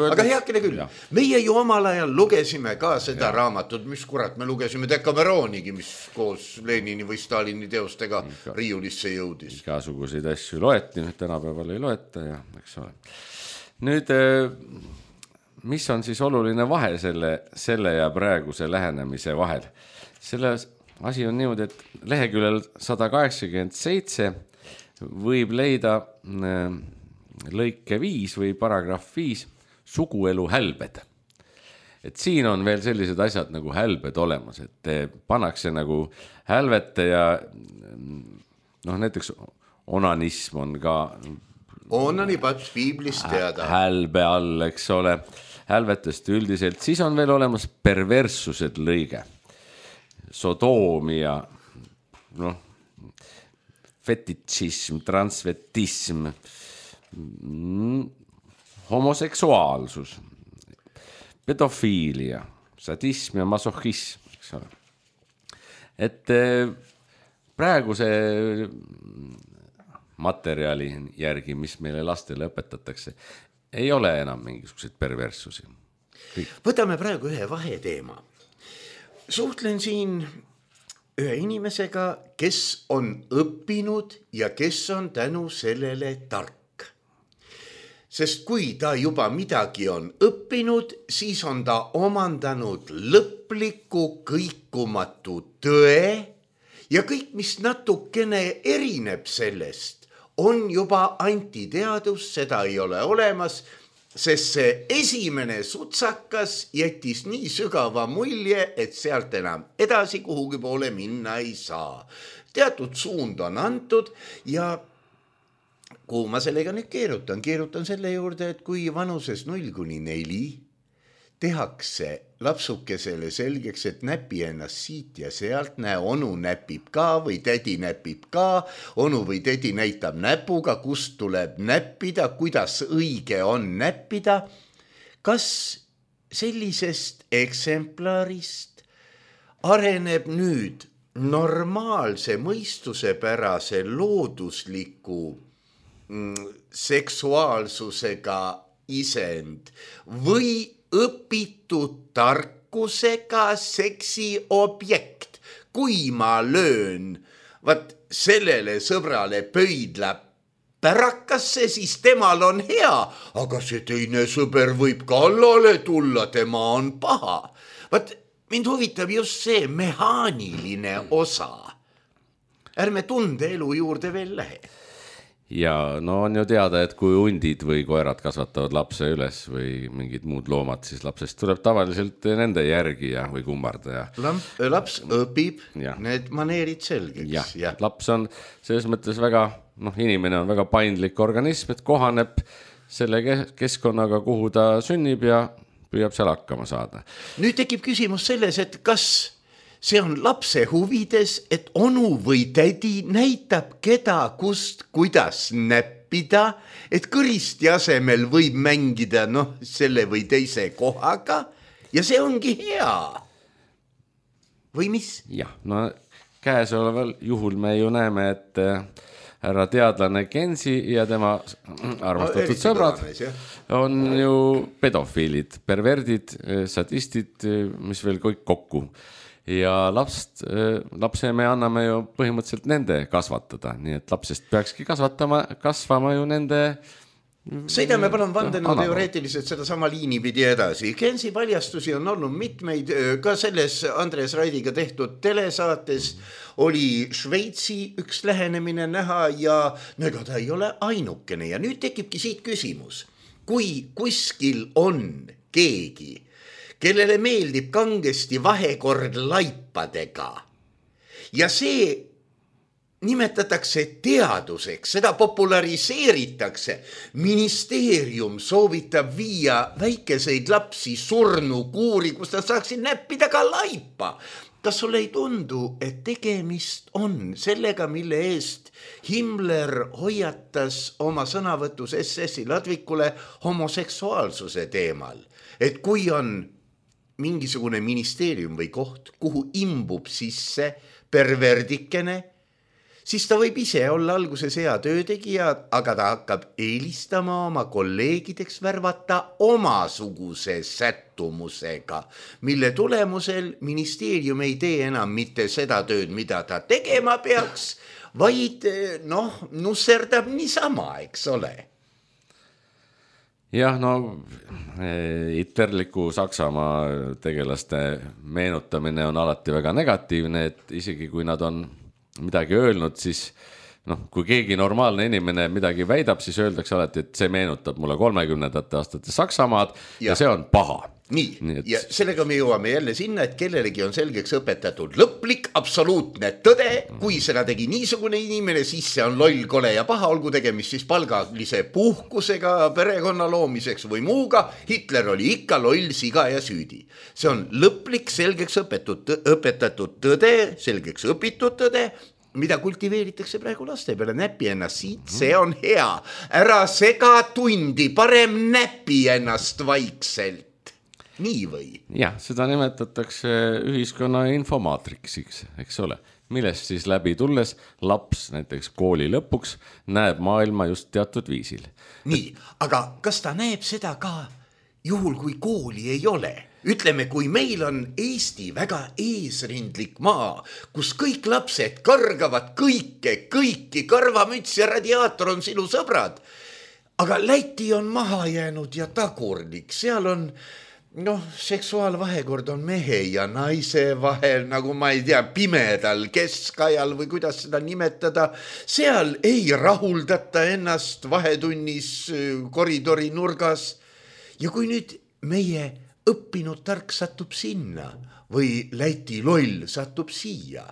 Aga heakene küll, meie ju omal ajal lugesime ka seda raamatut, mis kurat, me lugesime Dekameroonigi, mis koos Lenini või Stalini teostega riiulisse jõudis. Igasuguseid asju loeti, tänapäeval ei loeta ja eks ole. Nüüd, mis on siis oluline vahe selle ja praeguse lähenemise vahel? Selle asi on niimoodi, et leheküljel 187 võib leida lõike 5 või paragrahv 5 suguelu hälbed. Et siin on veel sellised asjad nagu hälbed olemas, et pannakse nagu hälvete ja näiteks onanism on ka Onanipats piiblist teada. Hälbe all, eks ole, hälvetest üldiselt. Siis on veel olemas perverssused lõige. Sodoomia, fetitsism, transvetism, homoseksuaalsus, pedofiilia, sadism ja masohhism, eks ole. Et praeguse materjali järgi, mis meile lastele õpetatakse, ei ole enam mingisuguseid perverssusi. Võtame praegu ühe vaheteema. Suhtlen siin ühe inimesega, kes on õppinud ja kes on tänu sellele tark. sest kui ta juba midagi on õppinud, siis on ta omandanud lõpliku kõikumatu tõe ja kõik, mis natukene erineb sellest, on juba antiteadus, seda ei ole olemas, sest see esimene sutsakas jättis nii sügava mulje, et sealt enam edasi kuhugi poole minna ei saa. Teatud suund on antud ja kuhu ma sellega nüüd keerutan selle juurde, et kui vanuses 0–4 tehakse lapsukesele selgeks, et näpi ennast siit ja sealt, näe, onu näpib ka või tädi näpib ka, onu või tädi näitab näpuga, kust tuleb näppida, kuidas õige on näppida. Kas sellisest eksemplarist areneb nüüd normaalse mõistusepärase loodusliku seksuaalsusega isend või õpitud tarkusega seksi objekt? Kui ma löön sellele sõbrale pöidla pärakasse, siis temal on hea, aga see teine sõber võib kallale tulla, tema on paha. Mind huvitab just see mehaaniline osa. Ärme tunde elu juurde veel lähe. Ja no on ju teada, et kui hundid või koerad kasvatavad lapse üles või mingid muud loomad, siis lapsest tuleb tavaliselt nende järgija või kummardaja. Laps õpib need maneerid selgeks. Ja. Laps on selles mõttes väga, inimene on väga paindlik organism, et kohaneb selle keskkonnaga, kuhu ta sünnib ja püüab seal hakkama saada. Nüüd tekib küsimus selles, et kas see on lapse huvides, et onu või tädi näitab keda, kust, kuidas näppida, et kõristi asemel võib mängida selle või teise kohaga ja see ongi hea. Või mis? Jah, käesoleval juhul me ju näeme, et härra teadlane Gensi ja tema armastatud sõbrad on ju pedofiilid, perverdid, sadistid, mis veel kõik kokku. Ja lapse me anname ju põhimõtteliselt nende kasvatada, nii et lapsest peakski kasvama ju nende. Sõidame palun vandenu teoreetiliselt seda sama liini pidi edasi. Gensi paljastusi on olnud mitmeid, ka selles Andres Raidiga tehtud telesaates oli Šveitsi üks lähenemine näha ja ega ta ei ole ainukene. Ja nüüd tekibki siit küsimus, kui kuskil on keegi, kellele meeldib kangesti vahekord laipadega ja see nimetatakse teaduseks, seda populariseeritakse. Ministeerium soovitab viia väikeseid lapsi surnukuuri, kus nad saaksid näppida ka laipa. Kas sulle ei tundu, et tegemist on sellega, mille eest Himmler hoiatas oma sõnavõtus SS-i ladvikule homoseksuaalsuse teemal? Et kui on mingisugune ministeerium või koht, kuhu imbub sisse perverdikene, siis ta võib ise olla alguses hea töötegija, aga ta hakkab eelistama oma kolleegideks värvata omasuguse sättumusega, mille tulemusel ministeerium ei tee enam mitte seda tööd, mida ta tegema peaks, vaid nusserdab niisama, eks ole. Jah, hitlerliku Saksamaa tegelaste meenutamine on alati väga negatiivne, et isegi kui nad on midagi öelnud, siis kui keegi normaalne inimene midagi väidab, siis öeldakse alati, et see meenutab mulle 30. aastate Saksamaad ja see on paha. Nii, ja sellega me jõuame jälle sinna, et kellelegi on selgeks õpetatud lõplik, absoluutne tõde. Kui seda tegi niisugune inimene, siis see on loll, kole ja paha, olgu tegemist siis palgalise puhkusega, perekonna loomiseks või muuga. Hitler oli ikka loll, siga ja süüdi. See on lõplik, selgeks õpetatud tõde, selgeks õpitud tõde, mida kultiveeritakse praegu laste peale. Näpi ennast siit, see on hea. Ära sega tundi, parem näpi ennast vaikselt. Nii või? Jah, seda nimetatakse ühiskonna infomaatriksiks, eks ole, millest siis läbi tulles laps näiteks kooli lõpuks näeb maailma just teatud viisil. Nii, aga kas ta näeb seda ka juhul, kui kooli ei ole? Ütleme, kui meil on Eesti väga eesrindlik maa, kus kõik lapsed kargavad kõiki, karvamüts ja radiaator on sinu sõbrad, aga Läti on maha jäänud ja tagurlik, seal on seksuaalvahekord on mehe ja naise vahel, nagu ma ei tea, pimedal keskajal või kuidas seda nimetada. Seal ei rahuldata ennast vahetunnis koridori nurgas. Ja kui nüüd meie õppinud tark satub sinna või Läti loll satub siia,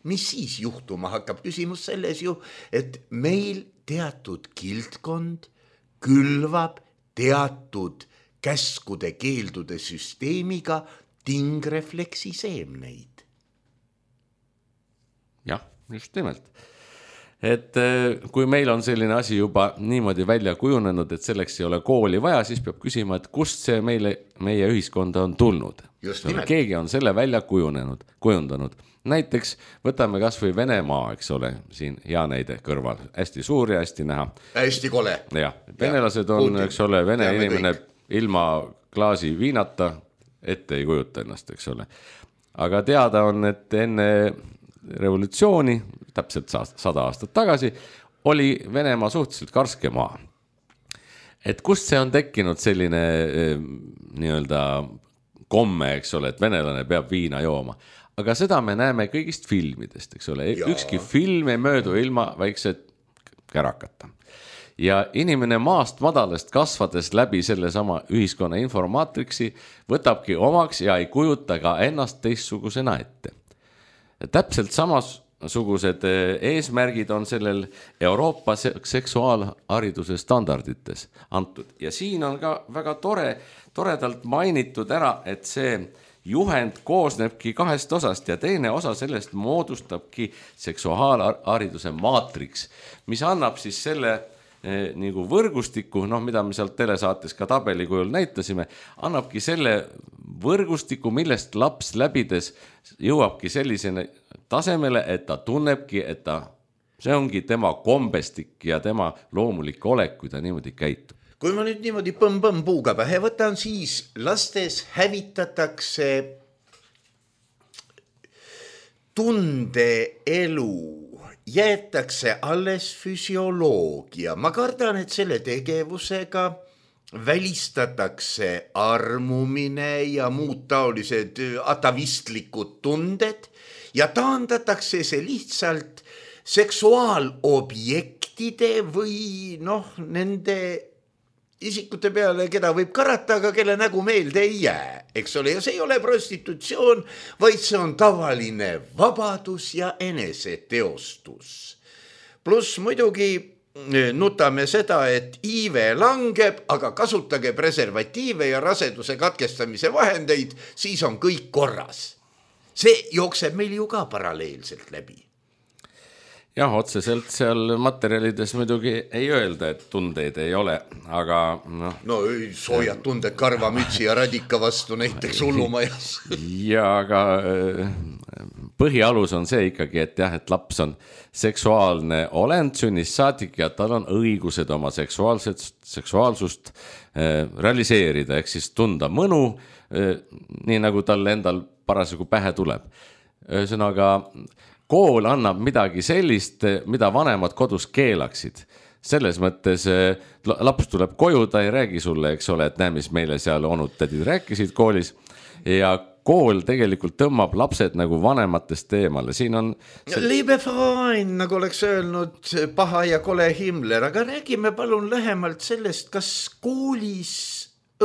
mis siis juhtuma hakkab? Küsimus selles ju, et meil teatud kildkond külvab teatud käskude keeldude süsteemiga tingrefleksi seemneid. Jah, just nimelt. Et kui meil on selline asi juba niimoodi välja kujunenud, et selleks ei ole kooli vaja, siis peab küsima, et kust see meie ühiskonda on tulnud. Keegi on selle välja kujundanud. Näiteks võtame kas või Venemaa, eks ole, siin hea näide kõrval. Hästi suur ja hästi näha. Hästi kole. Ja, venelased on, eks ole, vene inimene ilma klaasi viinata ette ei kujuta ennast, eks ole. Aga teada on, et enne revolutsiooni, täpselt 100 aastat tagasi, oli Venemaa suhteliselt karske maa. Et kust see on tekkinud selline nii-öelda komme, eks ole, et venelane peab viina jooma. Aga seda me näeme kõigist filmidest, eks ole. Ükski film ei möödu ilma väikse kärakata. Ja inimene maast madalast kasvades läbi selle sama ühiskonna informaatriksi võtabki omaks ja ei kujuta ka ennast teistsugusena ette. Täpselt samasugused eesmärgid on sellel Euroopa seksuaalhariduse standardites antud. Ja siin on ka väga toredalt mainitud ära, et see juhend koosnebki 2 osast ja teine osa sellest moodustabki seksuaalhariduse maatriks, mis annab siis selle nagu võrgustiku, mida me sealt telesaates ka tabeli kujul näitasime, annabki selle võrgustiku, millest laps läbides jõuabki sellisene tasemele, et ta tunnebki, et see ongi tema kombestik ja tema loomulik olek, kui ta niimoodi käitub. Kui ma nüüd niimoodi põmm puuga pähe võtan, siis lastes hävitatakse tundeelu, jäetakse alles füsioloogia. Ma kardan, et selle tegevusega välistatakse armumine ja muud taolised atavistlikud tunded ja taandatakse see lihtsalt seksuaalobjektide või nende isikute peale, keda võib karata, aga kelle nägu meelde ei jää, eks ole. Ja see ei ole prostitutsioon, vaid see on tavaline vabadus ja eneseteostus. Pluss muidugi nutame seda, et iive langeb, aga kasutage preservatiive ja raseduse katkestamise vahendeid, siis on kõik korras. See jookseb meil ju ka paralleelselt läbi. Jah, otseselt seal materjalides muidugi ei öelda, et tundeid ei ole, aga soojad tunded karvamütsi ja radika vastu näiteks hullumajas. Ja aga põhialus on see ikkagi, et et laps on seksuaalne olend sünnist saadik ja tal on õigused oma seksuaalsust realiseerida, ehk siis tunda mõnu, nii nagu tal endal parasjagu pähe tuleb. Ühesõnaga, kool annab midagi sellist, mida vanemad kodus keelaksid. Selles mõttes laps tuleb koju, ta ei räägi sulle, eks ole, et näe, mis meile seal onud tädid rääkisid koolis. Ja kool tegelikult tõmbab lapsed nagu vanematest eemale. Siin on Liebe Verein, nagu oleks öelnud paha ja kole Himmler, aga räägime palun lähemalt sellest, kas koolis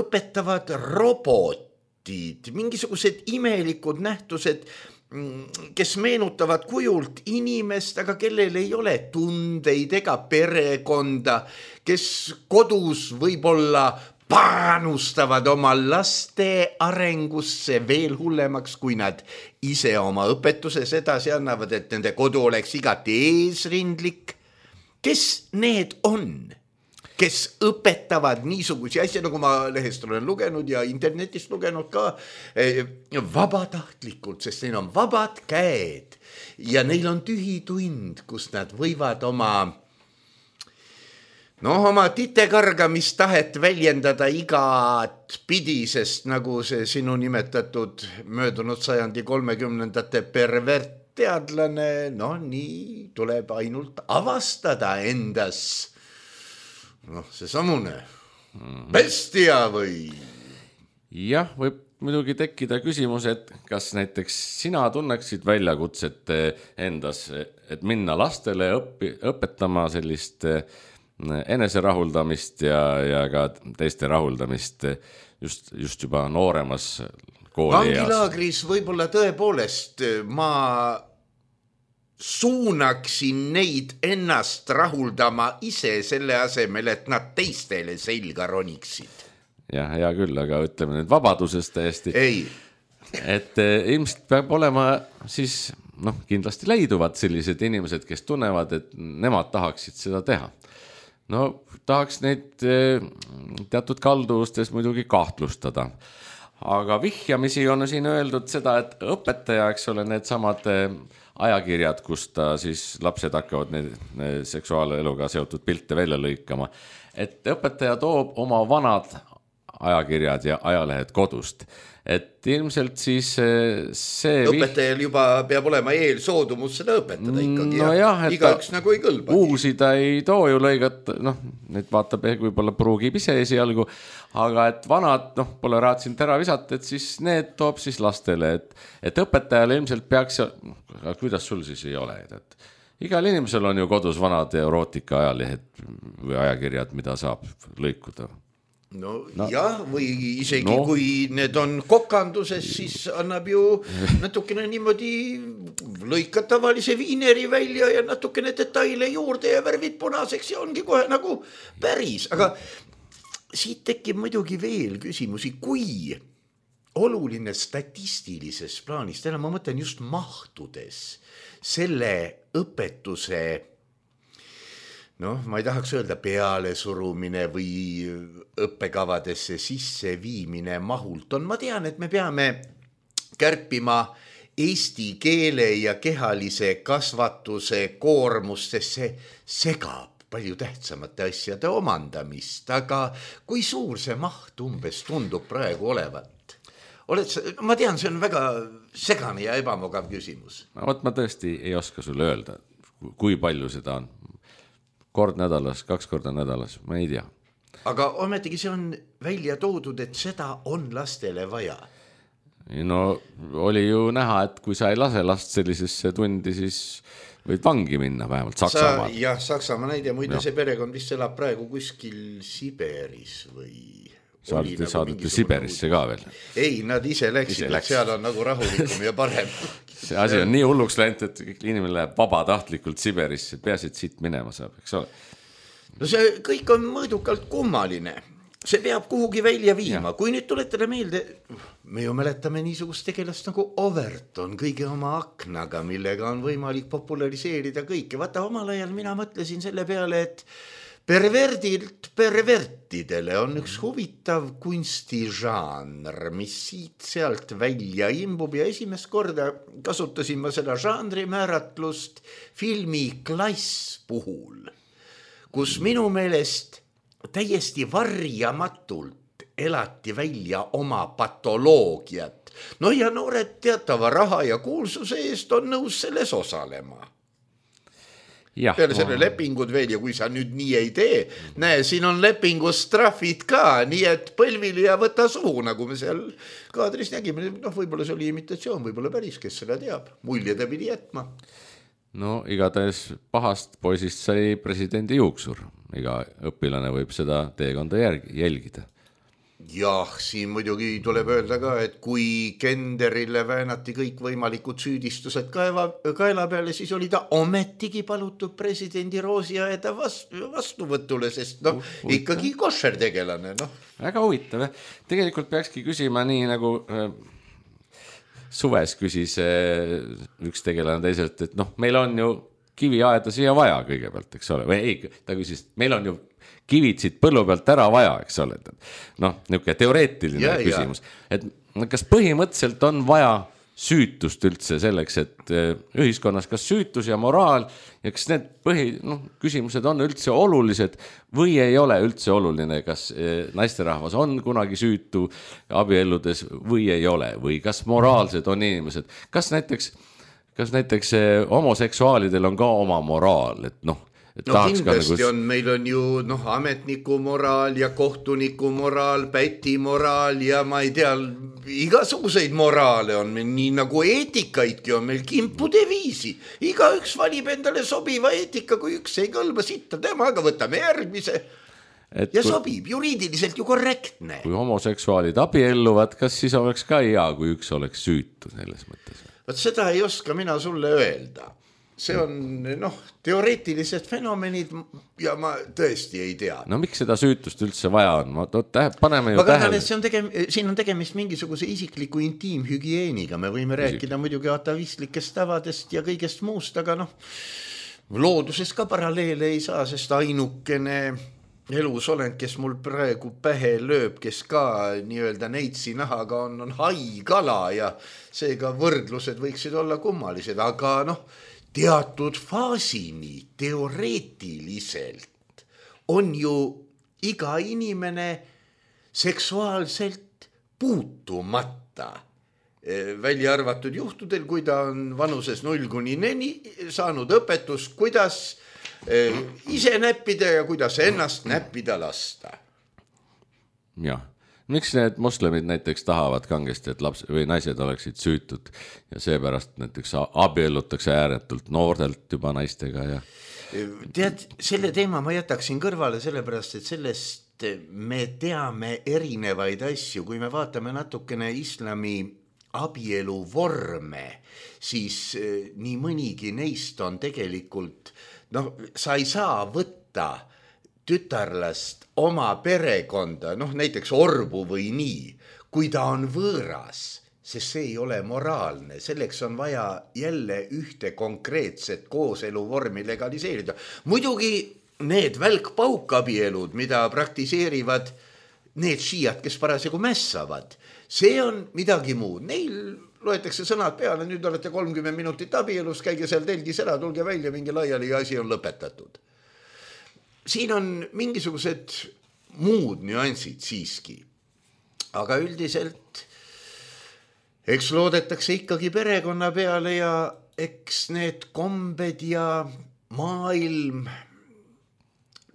õpetavad robotid, mingisugused imelikud nähtused, kes meenutavad kujult inimest, aga kellel ei ole tundeid ega perekonda, kes kodus võib-olla panustavad oma laste arengusse veel hullemaks, kui nad ise oma õpetuses edasi annavad, et nende kodu oleks igati eesrindlik. Kes need on, kes õpetavad niisugusi asja, nagu ma lehest olen lugenud ja internetist lugenud ka, vabatahtlikult, sest neil on vabad käed ja neil on tühi tund, kus nad võivad oma titekargamistahet väljendada igat pidi, sest nagu see sinu nimetatud möödunud sajandi 30ndate pervertteadlane, nii tuleb ainult avastada endas noh, see samune bestia või? Jah, võib muidugi tekkida küsimus, et kas näiteks sina tunneksid väljakutset endas, et minna lastele õpetama sellist eneserahuldamist ja ka teiste rahuldamist just juba nooremas kooli eas. Vangilaagris võib-olla tõepoolest ma suunaksin neid ennast rahuldama ise selle asemel, et nad teistele selga roniksid. Jah, hea küll, aga ütleme nüüd vabadusest täiesti. Ei. Et ilmselt peab olema siis, kindlasti leiduvad sellised inimesed, kes tunnevad, et nemad tahaksid seda teha. No tahaks neid teatud kalduvustes muidugi kahtlustada. Aga vihjamisi on siin öeldud seda, et õpetaja, eks ole, need samad ajakirjad, kus ta siis lapsed hakkavad need seksuaaleluga seotud pilte välja lõikama, et õpetaja toob oma vanad ajakirjad ja ajalehed kodust. Et ilmselt siis see... Õpetajal juba peab olema eelsoodumus seda õpetada ikkagi. No jah, et igaüks nagu ei kõlba. Uusi ta ei too ju lõigat, need vaatab võib-olla pruugib ise esialgu, aga et vanad, pole raatsinud ära visata, et siis need toob siis lastele, et õpetajale ilmselt peaks, kuidas sul siis ei ole, et igal inimesel on ju kodus vanad erootika ajalehed või ajakirjad, mida saab lõikuda. No jah, või isegi kui need on kokanduses, siis annab ju natukene niimoodi lõikad tavalise viineri välja ja natukene detaile juurde ja värvid punaseks ja ongi kohe nagu päris. Aga siit tekib muidugi veel küsimusi, kui oluline statistilises plaanis, täna ma mõtlen just mahtudes selle õpetuse ma ei tahaks öelda peale surumine või õppekavadesse sisse viimine mahult on. Ma tean, et me peame kärpima eesti keele ja kehalise kasvatuse koormust, sest see segab palju tähtsamate asjade omandamist. Aga kui suur see maht umbes tundub praegu olevat? Ma tean, see on väga segane ja ebamugav küsimus. Ma tõesti ei oska sulle öelda, kui palju seda on. Kord nädalas, 2 korda nädalas, ma ei tea. Aga ometigi see on välja toodud, et seda on lastele vaja. No oli ju näha, et kui sa ei lase last sellisesse tundi, siis võid vangi minna vähemalt Saksamaal. Jah, Saksamaa näide, muide see perekond vist elab praegu kuskil Siberis või... Saadete Siberisse ka veel. Ei, nad ise läksid, seal on nagu rahulikum ja parem. See asi on nii hulluks läinud, et inimene läheb vabatahtlikult Siberisse, peaasi, et siit minema saab, eks ole. No see kõik on mõõdukalt kummaline. See peab kuhugi välja viima. Kui nüüd tuletada meelde, me ju mäletame niisugust tegelast nagu Overton kõige oma aknaga, millega on võimalik populariseerida kõike. Vaata, omal ajal mina mõtlesin selle peale, et perverdilt pervertidele on üks huvitav kunstižanr, mis siit sealt välja imbub ja esimest korda kasutasin ma seda žanri määratlust filmi Klass puhul, kus minu meelest täiesti varjamatult elati välja oma patoloogiat. No ja noored teatava raha ja kuulsuse eest on nõus selles osalema. Peale selle lepingud veel ja kui sa nüüd nii ei tee, näe, siin on lepingus trahvid ka, nii et põlvili ja võta suhu, nagu me seal kaadris nägime. Võib-olla see oli imitatsioon, võib-olla päris, kes seda teab. Mulje ta pidi jätma. No igatahes pahast poisist sai presidendi juuksur. Iga õpilane võib seda teekonda jälgida. Jah, siin muidugi tuleb öelda ka, et kui Kenderile väänati kõik võimalikud süüdistused kaela peale, siis oli ta ometigi palutud presidendi roosiaeda vastuvõtule, sest ikkagi košer tegelane. Väga huvitav. Tegelikult peakski küsima nii nagu suves küsis üks tegelane teiselt, et meil on ju kiviaeda siia vaja kõigepealt, eks ole. Või ei, ta küsis, meil on ju kivid siit põllu pealt ära vaja, eks ole. Niisugune teoreetiline küsimus. Et kas põhimõtteliselt on vaja süütust üldse selleks, et ühiskonnas kas süütus ja moraal ja kas need küsimused on üldse olulised või ei ole üldse oluline, kas naisterahvas on kunagi süütu abielludes või ei ole või kas moraalsed on inimesed, kas näiteks homoseksuaalidel on ka oma moraal, et No kindlasti on, meil on ju ametniku moraal ja kohtuniku moraal, päti moraal ja ma ei tea, igasuguseid moraale on meil, nii nagu eetikaidki on meil kimpude viisi. Igaüks valib endale sobiva eetika, kui üks ei kõlba sitta temaga, võtame järgmise ja sobib, juriidiliselt ju korrektne. Kui homoseksuaalid abielluvad, kas siis oleks ka hea, kui üks oleks süütu selles mõttes? Võt seda ei oska mina sulle öelda. See on teoreetilised fenomenid ja ma tõesti ei tea. No miks seda süütust üldse vaja on? Paneme ju tähele. Siin on tegemist mingisuguse isikliku intiimhügieeniga. Me võime rääkida muidugi atavistlikest tavadest ja kõigest muust, aga looduses ka paralleele ei saa, sest ainukene elusolend, kes mul praegu pähe lööb, kes ka nii-öelda neitsi nahaga on haikala ja seega võrdlused võiksid olla kummalised, aga teatud faasini teoreetiliselt on ju iga inimene seksuaalselt puutumata, välja arvatud juhtudel, kui ta on vanuses 0–4 saanud õpetus, kuidas ise näppida ja kuidas ennast näppida lasta. Jah. Miks need moslemid näiteks tahavad kangesti, et laps või naised oleksid süütud ja seepärast näiteks abiellutakse ääretult noortelt juba naistega ja... Tead, selle teema ma jätaksin kõrvale sellepärast, et sellest me teame erinevaid asju. Kui me vaatame natukene islami abielu vorme, siis nii mõnigi neist on tegelikult, sa ei saa võtta tütarlast oma perekonda, näiteks orbu või nii, kui ta on võõras, sest see ei ole moraalne. Selleks on vaja jälle ühte konkreetset kooseluvormi legaliseerida. Muidugi need välkpaukabielud, mida praktiseerivad need šiiad, kes parasjagu mässavad, see on midagi muud. Neil loetakse sõnad peale, nüüd olete 30 minutit abielus, käige seal telgis ära, tulge välja, mingi laiali ja asi on lõpetatud. Siin on mingisugused muud nüansid siiski, aga üldiselt eks loodetakse ikkagi perekonna peale ja eks need kombed ja maailm,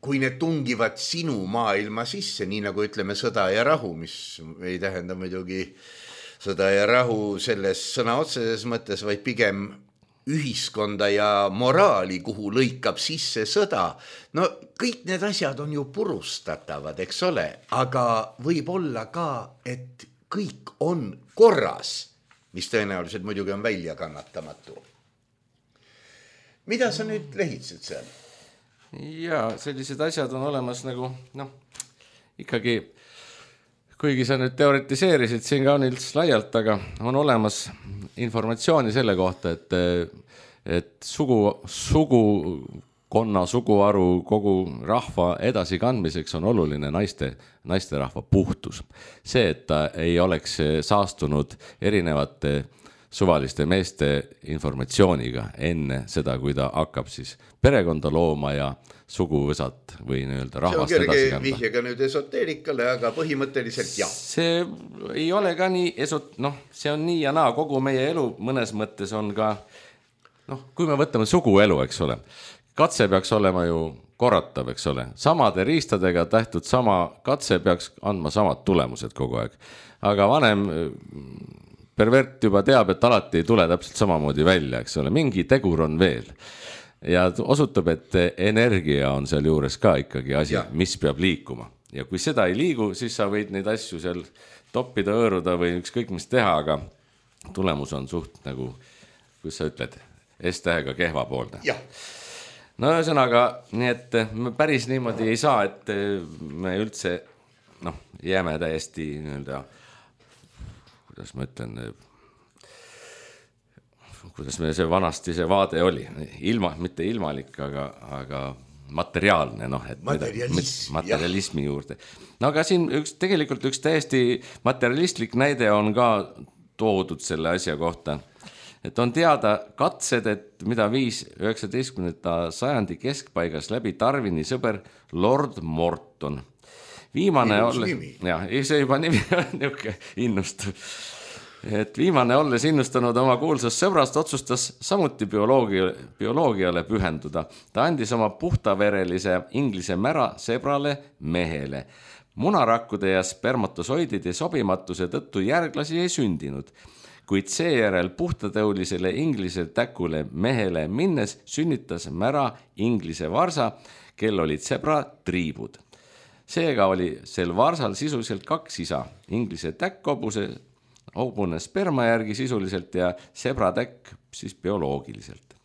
kui need tungivad sinu maailma sisse, nii nagu ütleme sõda ja rahu, mis ei tähenda muidugi sõda ja rahu selles sõna otseses mõttes, vaid pigem ühiskonda ja moraali, kuhu lõikab sisse sõda. Kõik need asjad on ju purustatavad, eks ole, aga võib olla ka, et kõik on korras, mis tõenäoliselt muidugi on välja kannatamatu. Mida sa nüüd lehitsed seal? Jaa, sellised asjad on olemas nagu, ikkagi, kuigi sa nüüd teoretiseerisid siin kaunils laialt, aga on olemas informatsiooni selle kohta, et sugukonna, suguharu, kogu rahva edasikandmiseks on oluline naiste rahva puhtus. See, et ta ei oleks saastunud erinevate suvaliste meeste informatsiooniga enne seda, kui ta hakkab siis perekonda looma ja suguvõsat või nii-öelda rahvast edasi kanda. See on kerge vihjega nüüd esoteerikale, aga põhimõtteliselt jah. See ei ole ka nii see on nii ja naa, kogu meie elu mõnes mõttes on ka, kui me võtame suguelu, eks ole, katse peaks olema ju korratav, eks ole, samade riistadega tähtud sama katse peaks andma samad tulemused kogu aeg, aga vanem pervert juba teab, et alati ei tule täpselt samamoodi välja, eks ole, mingi tegur on veel. Ja osutab, et energia on seal juures ka ikkagi asi, mis peab liikuma. Ja kui seda ei liigu, siis sa võid neid asju seal toppida, õõruda või ükskõik mis teha, aga tulemus on suht nagu, kus sa ütled, S-tähega kehvapoolne. No ühesõnaga, nii et me päris niimoodi ei saa, et me üldse jääme täiesti nii-öelda, kuidas ma ütlen, kuidas me see vanasti see vaade oli, mitte ilmalik, aga materiaalne, materialismi juurde. No aga siin tegelikult üks täiesti materialistlik näide on ka toodud selle asja kohta, et on teada katsed, et mida viis 19. sajandi keskpaigas läbi Darwini sõber Lord Morton. Viimane olles, see juba nimi on niuke innustav. et viimane, olles innustanud oma kuulsast sõbrast, otsustas samuti bioloogiale pühenduda. Ta andis oma puhtaverelise inglise mära sebrale mehele. Munarakkude ja spermatosoidide sobimatuse tõttu järglasi ei sündinud, kuid seejärel puhtatõulisele inglise täkule mehele minnes sünnitas mära inglise varsa, kel olid sebra triibud. Seega oli sel varsal sisuliselt 2 isa, inglise täkk hobune sperma järgi sisuliselt ja sebratäkk siis bioloogiliselt.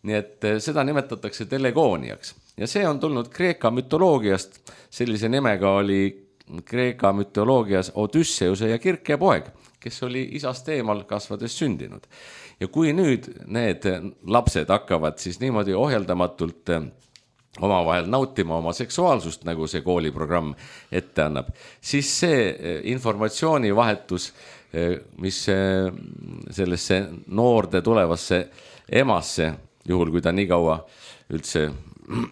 Nii et seda nimetatakse telegooniaks. Ja see on tulnud Kreeka mütoloogiast. Sellise nimega oli Kreeka mütoloogias Odysseuse ja Kirke poeg, kes oli isast eemal kasvades sündinud. Ja kui nüüd need lapsed hakkavad siis niimoodi ohjeldamatult omavahel nautima oma seksuaalsust, nagu see kooliprogramm ette annab, siis see informatsioonivahetus, mis sellesse noorde tulevasse emasse, juhul kui ta nii kaua üldse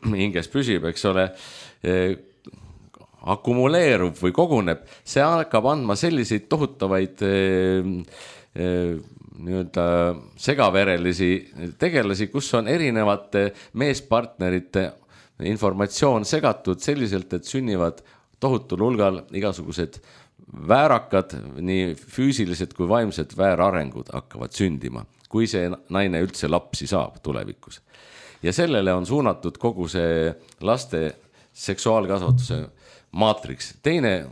hinges püsib, eks ole, akumuleerub või koguneb, see hakkab andma selliseid tohutavaid nii-öelda segaverelisi tegelasi, kus on erinevate meespartnerite informatsioon segatud selliselt, et sünnivad tohutul hulgal igasugused väärakad, nii füüsilised kui vaimsed väärarengud hakkavad sündima, kui see naine üldse lapsi saab tulevikus. Ja sellele on suunatud kogu see laste seksuaalkasvatuse maatriks. Teine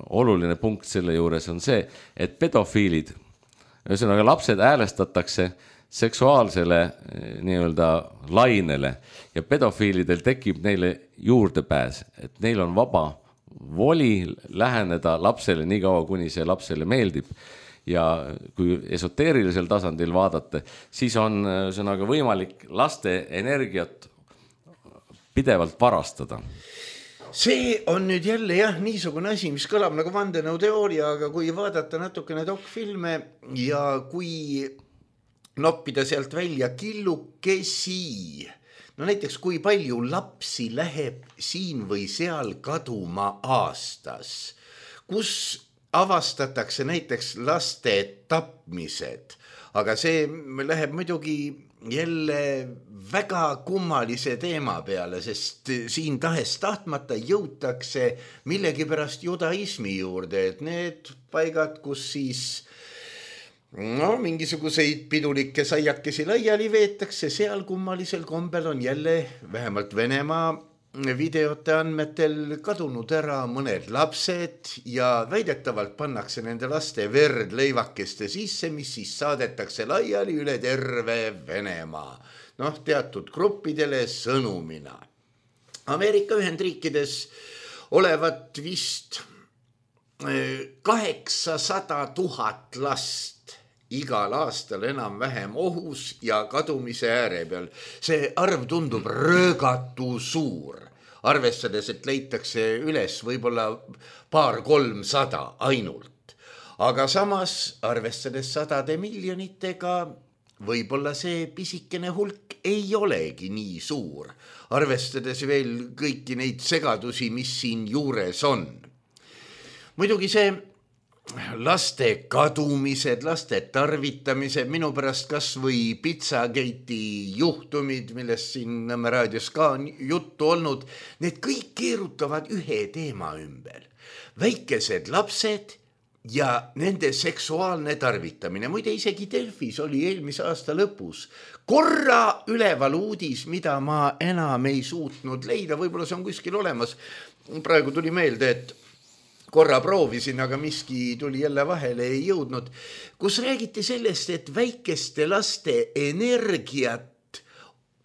oluline punkt selle juures on see, et pedofiilid, ühesõnaga lapsed häälestatakse seksuaalsele nii-öelda lainele ja pedofiilidel tekib neile juurdepääs, et neil on vaba voli läheneda lapsele nii kaua, kuni see lapsele meeldib. Ja kui esoteerilisel tasandil vaadata, siis on sõnaga võimalik laste energiat pidevalt varastada. See on nüüd jälle niisugune asi, mis kõlab nagu vandenõuteooria, aga kui vaadata natukene dokfilme ja kui noppida sealt välja killukesi, no näiteks kui palju lapsi läheb siin või seal kaduma aastas, kus avastatakse näiteks laste tapmised, aga see läheb muidugi jälle väga kummalise teema peale, sest siin tahes-tahtmata jõutakse millegipärast judaismi juurde, et need paigad, kus siis mingisuguseid pidulikke saiakesi laiali veetakse, seal kummalisel kombel on jälle vähemalt Venemaa videote andmetel kadunud ära mõned lapsed ja väidetavalt pannakse nende laste verd leivakeste sisse, mis siis saadetakse laiali üle terve Venemaa. Teatud gruppidele sõnumina. Ameerika Ühendriikides olevat vist 800 000 last igal aastal enam-vähem ohus ja kadumise ääre peal. See arv tundub röögatu suur, arvestades, et leitakse üles võib-olla 200-300 ainult. Aga samas, arvestades 100 miljonitega, võib-olla see pisikene hulk ei olegi nii suur, arvestades veel kõiki neid segadusi, mis siin juures on. Muidugi see laste kadumised, laste tarvitamised, minu pärast kas või Pizzagate'i juhtumid, millest siin Nõmme raadios ka on juttu olnud, need kõik keerutavad ühe teema ümber. Väikesed lapsed ja nende seksuaalne tarvitamine. Muide, isegi Delfis oli eelmise aasta lõpus korra üleval uudis, mida ma enam ei suutnud leida, võib-olla see on kuskil olemas. Praegu tuli meelde, et korra proovisin, aga miski tuli jälle vahele, ei jõudnud, kus räägiti sellest, et väikeste laste energiat,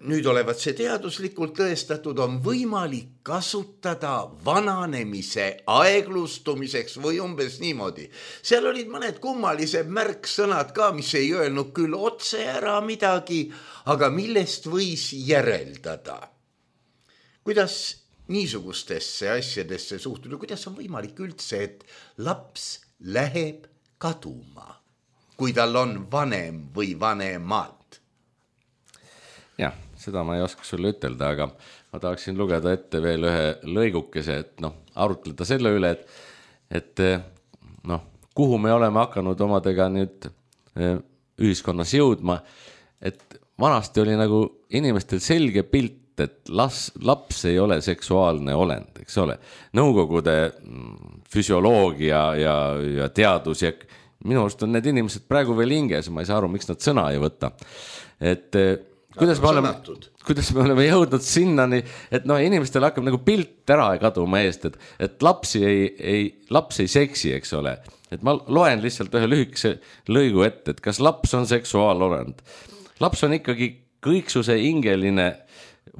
nüüd olevat see teaduslikult tõestatud, on võimalik kasutada vananemise aeglustumiseks või umbes niimoodi. Seal olid mõned kummalised märksõnad ka, mis ei öelnud küll otse ära midagi, aga millest võis järeldada. Kuidas niisugustesse asjadesse suhtuda, kuidas on võimalik üldse, et laps läheb kaduma, kui tal on vanem või vanemad? Jah, seda ma ei oska sulle ütelda, aga ma tahaksin lugeda ette veel ühe lõigukese, et arutleda selle üle, et kuhu me oleme hakanud omadega nüüd ühiskonnas jõudma, et vanasti oli nagu inimestel selge pilt, et laps ei ole seksuaalne olend, eks ole. Nõukogude füsioloogia ja teadus ja minu arust on need inimesed praegu veel hinges, ma ei saa aru, miks nad sõna ei võta. Et kuidas me oleme jõudnud sinnani, et inimestel hakkab nagu pilt ära kaduma eest, et laps ei seksi, eks ole. Et ma loen lihtsalt ühe lühikese lõigu ette, et kas laps on seksuaalolend. Laps on ikkagi kõiksuse ingeline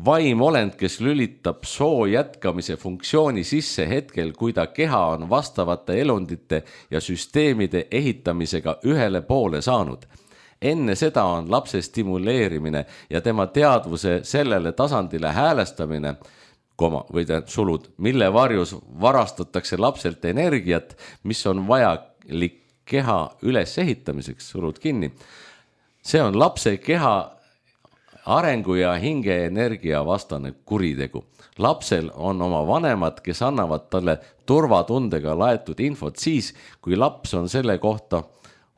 vaimolend, kes lülitab soo jätkamise funktsiooni sisse hetkel, kui ta keha on vastavate elundite ja süsteemide ehitamisega ühele poole saanud. Enne seda on lapse stimuleerimine ja tema teadvuse sellele tasandile häälestamine, või sulud, mille varjus varastatakse lapselt energiat, mis on vajalik keha üles ehitamiseks, sulud kinni. See on lapse keha arengu ja hinge energia vastane kuritegu. Lapsel on oma vanemad, kes annavad talle turvatundega laetud infot siis, kui laps on selle kohta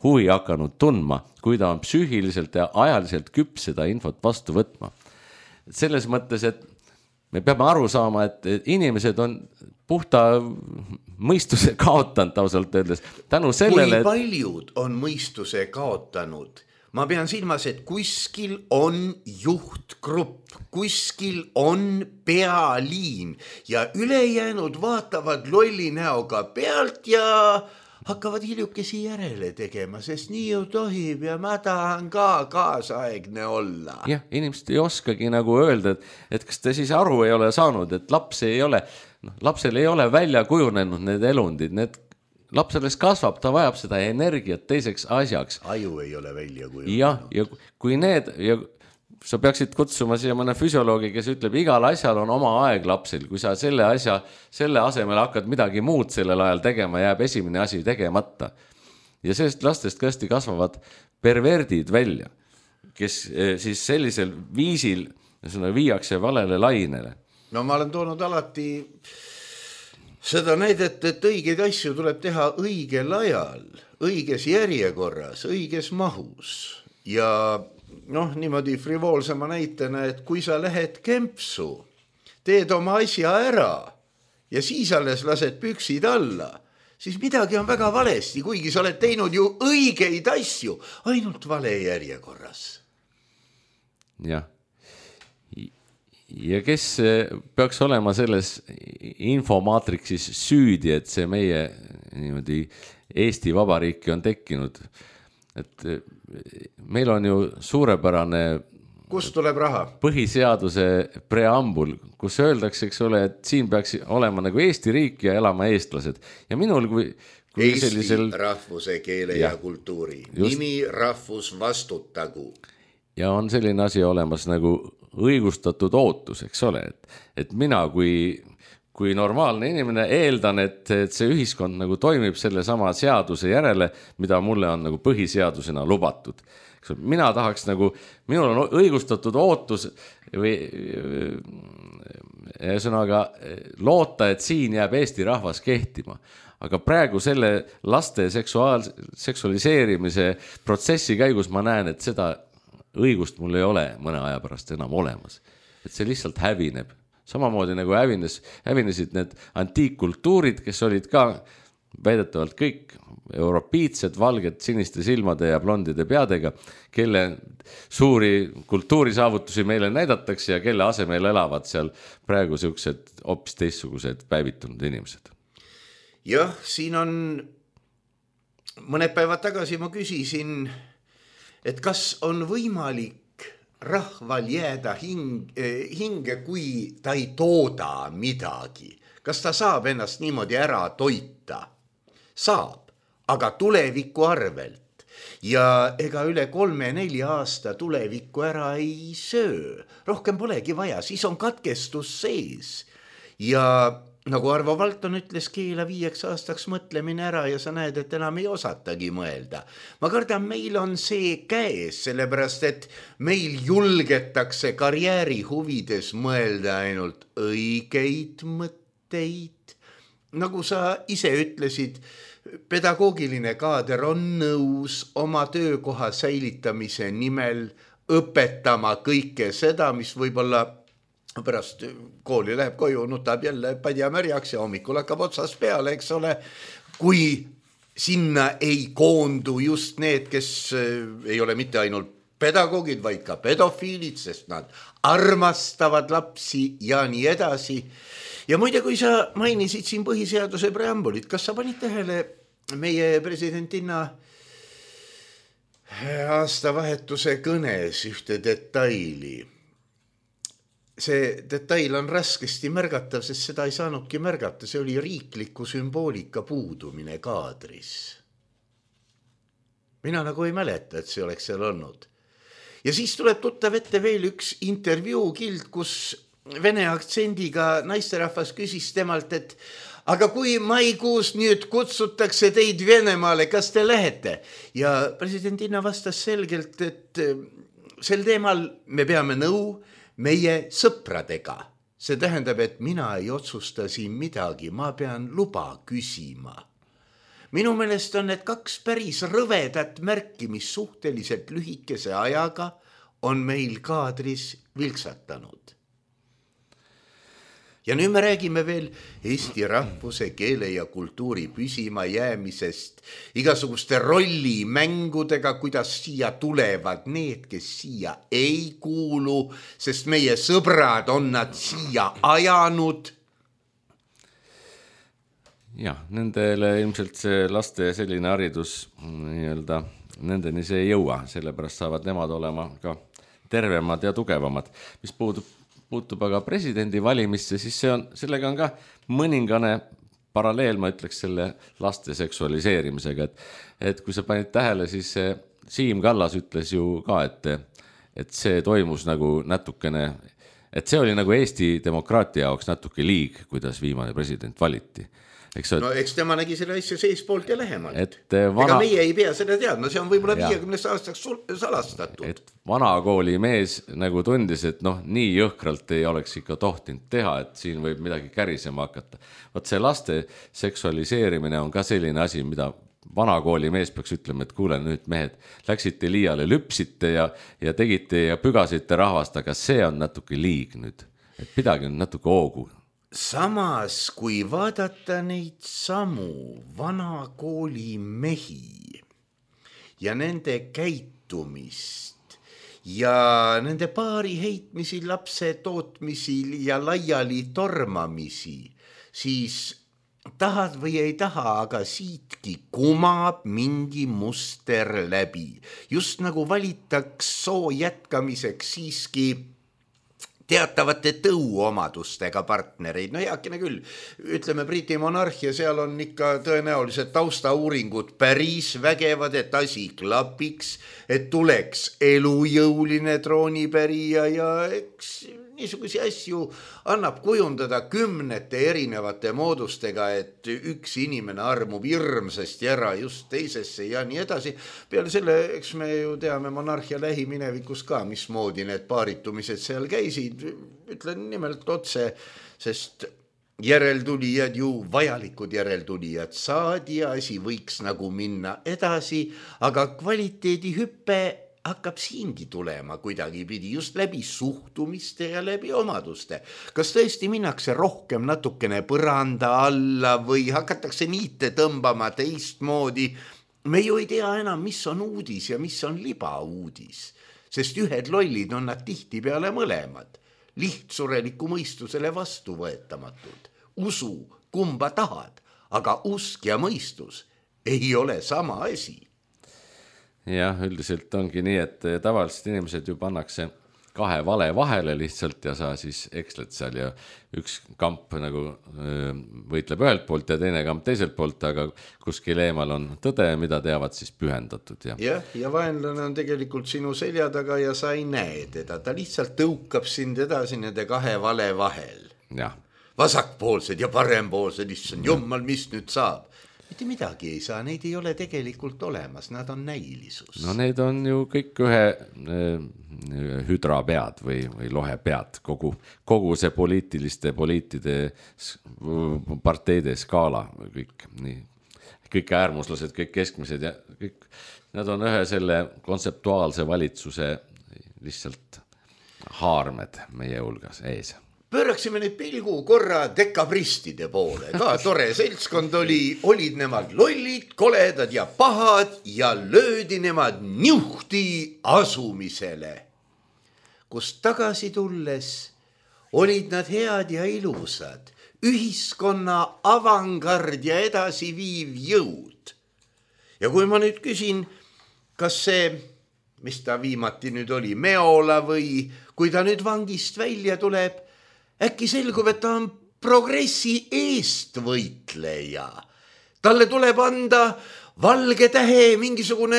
huvi hakanud tundma, kui ta on psüühiliselt ja ajaliselt küps seda infot vastu võtma. Selles mõttes, et me peame aru saama, et inimesed on puhta mõistuse kaotanud ausalt öeldes. Tänu sellele, kui paljud on mõistuse kaotanud? Ma pean silmas, et kuskil on juhtgrupp, kuskil on pealiin ja ülejäänud vaatavad lolli näoga pealt ja hakkavad hiljukesi järele tegema, sest nii ju tohib ja ma tahan ka kaasaegne olla. Jah, inimesed ei oskagi nagu öelda, et kas te siis aru ei ole saanud, et lapsel ei ole välja kujunenud need elundid, laps alles kasvab, ta vajab seda energiat teiseks asjaks. Aju ei ole välja kujunenud. Ja kui sa peaksid kutsuma siia mõne füsioloogi, kes ütleb, igal asjal on oma aeg lapsil, kui sa selle asemel hakkad midagi muud sellel ajal tegema, jääb esimene asi tegemata. Ja sellest lastest tõesti kasvavad perverdid välja, kes siis sellisel viisil viiakse valele lainele. No ma olen toonud alati seda näidet, et õigeid asju tuleb teha õigel ajal, õiges järjekorras, õiges mahus ja niimoodi frivoolsema näitena, et kui sa lähed kempsu, teed oma asja ära ja siis alles lased püksid alla, siis midagi on väga valesti, kuigi sa oled teinud ju õigeid asju, ainult vale järjekorras. Jah. Ja kes peaks olema selles infomaatriksis süüdi, et see meie niimoodi Eesti Vabariiki on tekkinud? Et meil on ju suurepärane kust tuleb raha? Põhiseaduse preambul, kus öeldakse, eks ole, et siin peaks olema nagu Eesti riik ja elama eestlased. Ja minul kui Eesti sellisel rahvuse, keele ja kultuuri. Nimi rahvus vastutagu. Ja on selline asi olemas nagu õigustatud ootus, eks ole, et mina kui normaalne inimene eeldan, et see ühiskond nagu toimib selle sama seaduse järele, mida mulle on nagu põhiseadusena lubatud. Mina tahaks nagu, minul on õigustatud ootus või sõnaga loota, et siin jääb Eesti rahvas kehtima. Aga praegu selle laste seksualiseerimise protsessi käigus ma näen, et seda õigust mul ei ole mõne aja pärast enam olemas. Et see lihtsalt hävineb. Samamoodi nagu hävinesid need antiikkultuurid, kes olid ka väidetavalt kõik europiitsed, valged, siniste silmade ja blondide peadega, kelle suuri kultuurisaavutusi meile näidatakse ja kelle asemel elavad seal praegu sellised hoopis teistsugused päevitunud inimesed. Jah, siin on mõned päevad tagasi ma küsisin, et kas on võimalik rahval jääda hinge, kui ta ei tooda midagi. Kas ta saab ennast niimoodi ära toita? Saab, aga tuleviku arvelt. Ja ega üle 3-4 aasta tulevikku ära ei söö. Rohkem polegi vaja, siis on katkestus sees. Ja nagu Arvo Valton ütles, keela 5 aastaks mõtlemine ära ja sa näed, et enam ei osatagi mõelda. Ma kardan, meil on see käes, sellepärast, et meil julgetakse karjääri huvides mõelda ainult õigeid mõtteid. Nagu sa ise ütlesid, pedagoogiline kaader on nõus oma töökoha säilitamise nimel õpetama kõike seda, mis võib-olla pärast kooli läheb koju, nutab jälle padja märjaks ja hommikul hakkab otsas peale, eks ole, kui sinna ei koondu just need, kes ei ole mitte ainult pedagoogid, vaid ka pedofiilid, sest nad armastavad lapsi ja nii edasi. Ja muide, kui sa mainisid siin põhiseaduse preambulit, kas sa panid tähele meie presidentinna aastavahetuse kõnes ühte detaili? See detail on raskesti märgatav, sest seda ei saanudki märgata, see oli riikliku sümboolika puudumine kaadris. Mina nagu ei mäleta, et see oleks seal olnud. Ja siis tuleb tuttav ette veel üks intervjuukild, kus vene aktsendiga naisterahvas küsis temalt, et aga kui maikuus nüüd kutsutakse teid Venemaale, kas te lähete? Ja presidentina vastas selgelt, et sel teemal me peame nõu meie sõpradega. See tähendab, et mina ei otsusta siin midagi, ma pean luba küsima. Minu meelest on need kaks päris rõvedat märki, mis suhteliselt lühikese ajaga on meil kaadris vilksatanud. Ja nüüd me räägime veel eesti rahvuse, keele ja kultuuri püsima jäämisest, igasuguste rollimängudega, kuidas siia tulevad need, kes siia ei kuulu, sest meie sõbrad on nad siia ajanud. Jah, nendele ilmselt see laste selline haridus nii-öelda, nendeni see ei jõua, sellepärast saavad nemad olema ka tervemad ja tugevamad. Mis puutub aga presidendi valimisse, siis sellega on ka mõningane paralleel, ma ütleks, selle laste seksualiseerimisega, et kui sa panid tähele, siis Siim Kallas ütles ju ka, et see toimus nagu natukene, et see oli nagu Eesti demokraatia jaoks natuke liig, kuidas viimane president valiti. No eks tema nägi selle asja seespoolt ja lähemalt. Ega meie ei pea seda teadma, see on võib-olla 50 aastaks salastatud. Et vanakooli mees nagu tundis, et nii jõhkralt ei oleks ikka tohtinud teha, et siin võib midagi kärisema hakata. Võt see laste seksualiseerimine on ka selline asi, mida vanakooli mees peaks ütlema, et kuule nüüd mehed, läksite liiale, lüpsite ja tegite ja pügasite rahvast, aga see on natuke liig nüüd, et pidagi on natuke hoogu. Samas, kui vaadata neid samu vanakooli mehi ja nende käitumist ja nende paari heitmisi, lapse tootmisi ja laiali tormamisi, siis tahad või ei taha, aga siitki kumab mingi muster läbi. Just nagu valitaks soo jätkamiseks siiski teatavate tõuomadustega partnereid. No heakene küll, ütleme Briti monarhia, seal on ikka tõenäoliselt taustauuringud päris vägevad, et asi klapiks, et tuleks elujõuline troonipärija ja eks niisugusi asju annab kujundada kümnete erinevate moodustega, et üks inimene armub hirmsasti ära just teisesse ja nii edasi. Peale selle, eks me ju teame monarhia lähiminevikus ka, mismoodi need paaritumised seal käisid. Ütlen nimelt otse, sest järeltulijad ju vajalikud järeltulijad saadi ja asi võiks nagu minna edasi, aga kvaliteedihüppe hakkab siingi tulema kuidagi pidi just läbi suhtumiste ja läbi omaduste. Kas tõesti minnakse rohkem natukene põranda alla või hakatakse niite tõmbama teistmoodi? Me ju ei tea enam, mis on uudis ja mis on libauudis, sest ühed lollid on nad tihti peale mõlemad, lihtsureliku mõistusele vastuvõetamatud. Usu, kumba tahad, aga usk ja mõistus ei ole sama asi. Jah, üldiselt ongi nii, et tavaliselt inimesed ju pannakse kahe vale vahele lihtsalt ja sa siis eksled seal ja üks kamp nagu võitleb ühelt poolt ja teine kamp teiselt poolt, aga kuskil eemal on tõde, mida teavad siis pühendatud. Ja vaenlane on tegelikult sinu selja taga ja sa ei näe teda, ta lihtsalt tõukab sind edasi nende kahe vale vahel. Ja. Vasakpoolsed ja parempoolsed, issand jummal, mis nüüd saab? Mitte midagi ei saa, neid ei ole tegelikult olemas, nad on näilisus. No need on ju kõik ühe hüdrapead või lohepead, kogu see poliitide parteide skaala kõik nii. kõik äärmuslased, kõik keskmised ja kõik, nad on ühe selle kontseptuaalse valitsuse lihtsalt haarmed meie hulgas ees. Pööraksime nüüd pilgu korra dekabristide poole, ka tore seltskond olid nemad lollid, koledad ja pahad ja löödi nemad niuhti asumisele. Kust tagasi tulles olid nad head ja ilusad, ühiskonna avangard ja edasiviiv jõud. Ja kui ma nüüd küsin, kas see, mis ta viimati nüüd oli, Meola või kui ta nüüd vangist välja tuleb, äkki selgub, et ta on progressi eestvõitleja. Talle tuleb anda valge tähe, mingisugune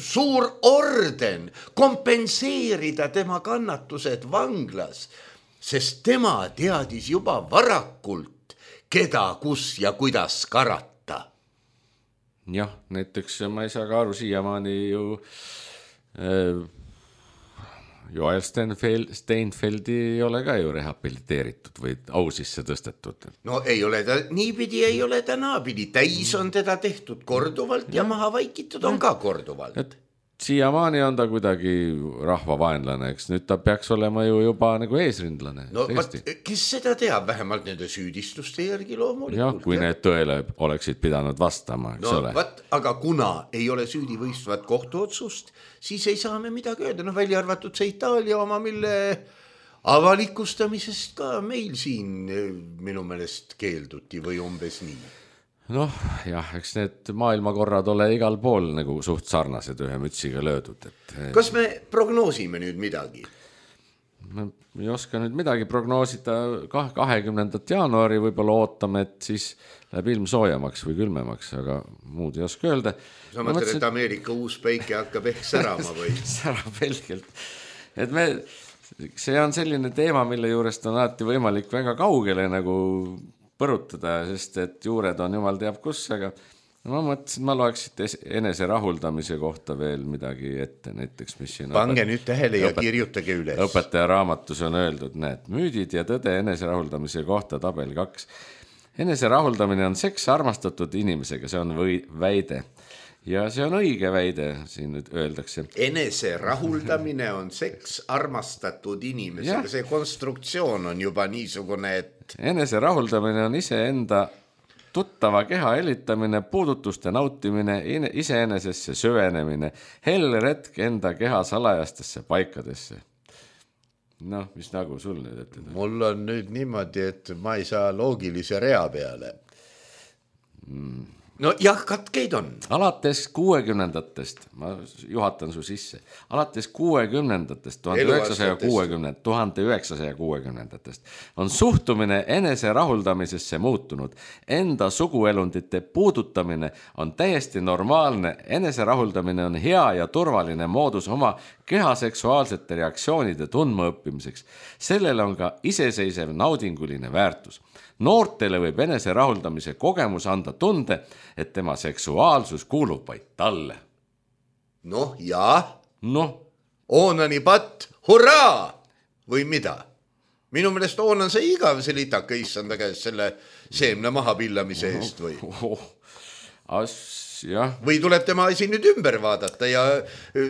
suur orden, kompenseerida tema kannatused vanglas, sest tema teadis juba varakult, keda, kus ja kuidas karata. Jah, näiteks ma ei saa ka aru siiamaani ju Joel Steinfeldi ei ole ka ju rehabiliteeritud või au sisse tõstetud. No ei ole ta niipidi, ei ole ta naapidi. Täis on teda tehtud korduvalt ja maha vaikitud on ka korduvalt. Et siiamaani on ta kuidagi rahvavaenlane, eks nüüd ta peaks olema ju juba nagu eesrindlane. No kes seda teab, vähemalt nende süüdistuste järgi loomulikult. Jah, kui need tõele oleksid pidanud vastama, eks ole. Aga kuna ei ole süüdivõistvat kohtuotsust, siis ei saa me midagi öelda. No välja arvatud see Itaalia oma, mille avalikustamisest ka meil siin minu meelest keelduti või umbes nii. Noh, jah, eks need maailmakorrad ole igal pool nagu suht sarnased ühe mütsiga löödud. Kas me prognoosime nüüd midagi? Ma ei oska nüüd midagi prognoosida. 20. jaanuari võib-olla ootame, et siis läheb ilm soojamaks või külmemaks, aga muud ei oska öelda. Sa mõtled, et Ameerika uus päike hakkab ehk särama või? Särab helgelt. Et see on selline teema, mille juurest on alati võimalik väga kaugele nagu põrutada, sest et juured on jumal teab kus, aga ma mõtlesin, ma loeksid enese rahuldamise kohta veel midagi ette, näiteks mis siin pange nüüd tähele ja kirjutage üles. Õpetaja raamatus on öeldud, näed, müüdid ja tõde enese rahuldamise kohta tabel 2. Enese rahuldamine on seks armastatud inimesega, see on väide. Ja see on õige väide, siin nüüd öeldakse. Enese rahuldamine on seks armastatud inimesega, see konstruktsioon on juba niisugune, et enese rahuldamine on iseenda tuttava keha elitamine, puudutuste nautimine, iseenesesse süvenemine, helle retk enda keha salajastesse paikadesse. Noh, mis nagu sul nüüd ette? Mul on nüüd niimoodi, et ma ei saa loogilise rea peale. No jah, katkeid on. Alates 60-ndatest, ma juhatan su sisse, alates 60-ndatest, 1960-ndatest on suhtumine enese rahuldamisesse muutunud. Enda suguelundite puudutamine on täiesti normaalne. Enese rahuldamine on hea ja turvaline moodus oma keha seksuaalsete reaktsioonide tundmaõppimiseks. Sellel on ka iseseisev naudinguline väärtus. Noortele võib enese rahuldamise kogemus anda tunde, et tema seksuaalsus kuulub vaid talle. Noh, jah. Noh. Oonani patt, hurraa! Või mida? Minu meelest Oonan see igav see litaka issanda käes selle seemne maha pillamise eest või? Jah. Või tuleb tema asi nüüd ümber vaadata ja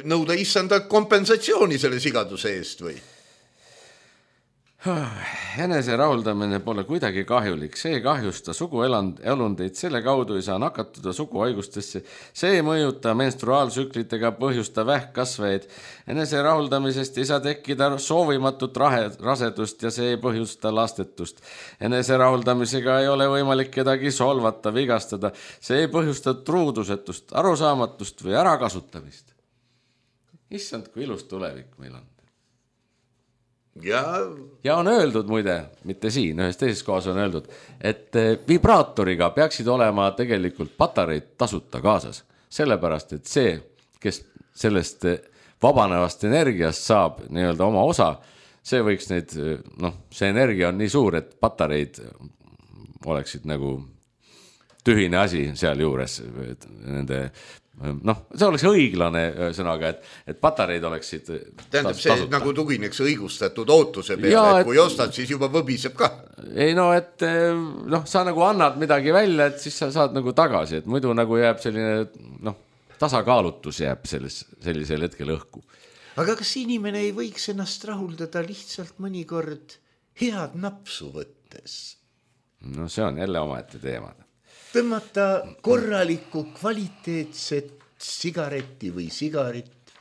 nõuda issanda kompensatsiooni selle sigaduse eest või? Enese rahuldamine pole kuidagi kahjulik, see ei kahjusta suguelundeid, selle kaudu ei saa nakatuda suguhaigustesse, see ei mõjuta menstruaalsüklitega põhjusta vähkkasvajaid. Enese rahuldamisest ei saa tekkida soovimatut rasedust ja see ei põhjusta lastetust. Enese rahuldamisega ei ole võimalik kedagi solvata, vigastada, see ei põhjusta truudusetust, arusaamatust või ärakasutamist. Issand, kui ilus tulevik meil on. Ja on öeldud muide, mitte siin, ühes teises kohas on öeldud, et vibraatoriga peaksid olema tegelikult patareid tasuta kaasas. Sellepärast, et see, kes sellest vabanevast energiast saab nii-öelda oma osa, see võiks neid, see energia on nii suur, et patareid oleksid nagu tühine asi seal juures nende noh, see oleks õiglane sõnaga, et patareid oleksid tähendab, see tasuta. Nagu tugineks õigustatud ootuse peale, ja, et kui ostad, siis juba võbiseb ka. Ei no, et noh, sa nagu annad midagi välja, et siis sa saad nagu tagasi, et muidu nagu jääb selline, noh, tasakaalutus jääb sellisel hetkel õhku. Aga kas inimene ei võiks ennast rahuldada lihtsalt mõnikord head napsu võttes? No see on jälle omaette teemad. Tõmmata korralikku kvaliteetset sigaretti või sigarit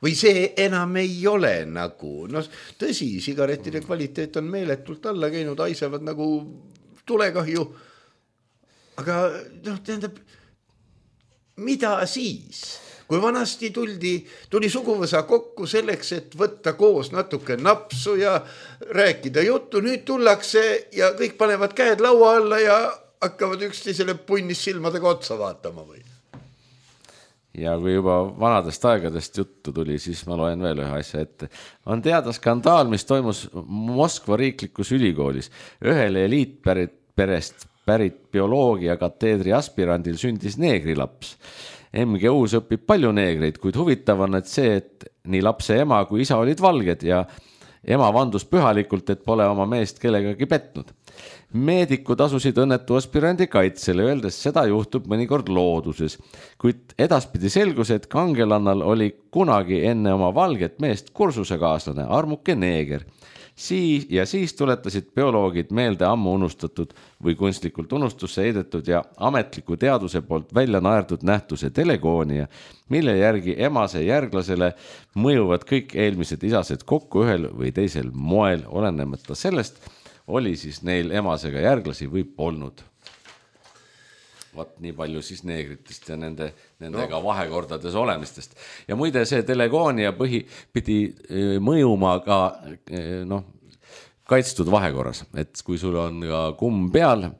või see enam ei ole nagu, no tõsi, sigarettide kvaliteet on meeletult alla käinud, haisevad nagu tulekahju, aga noh, tähendab, mida siis? Kui vanasti tuli suguvõsa kokku selleks, et võtta koos natuke napsu ja rääkida juttu, nüüd tullakse ja kõik panevad käed laua alla ja hakkavad üksteisele punnis silmadega otsa vaatama või? Ja kui juba vanadest aegadest juttu tuli, siis ma loen veel ühe asja ette. On teada skandaal, mis toimus Moskva riiklikus ülikoolis. Ühele eliitperest pärit bioloogia kateedri aspirandil sündis neegrilaps. MGU-s õpib palju neegreid, kuid huvitav on, et see, et nii lapse ema kui isa olid valged ja ema vandus pühalikult, et pole oma meest kellegagi petnud. Meedikud asusid õnnetu aspirandi kaitsele, öeldes seda juhtub mõnikord looduses, kuid edaspidi selgus, et kangelannal oli kunagi enne oma valget meest kursusekaaslane Armuke neeger. Siis tuletasid bioloogid meelde ammu unustatud või kunstlikult unustusse heidetud ja ametliku teaduse poolt välja naerdud nähtuse telegoonia, mille järgi emase järglasele mõjuvad kõik eelmised isased kokku ühel või teisel moel, olenemata sellest, oli siis neil emasega järglasi või polnud. Vaat nii palju siis neegritest ja nendega vahekordades olemistest. Ja muide see telegoonia pidi mõjuma ka kaitstud vahekorras, et kui sul on ka kumm peal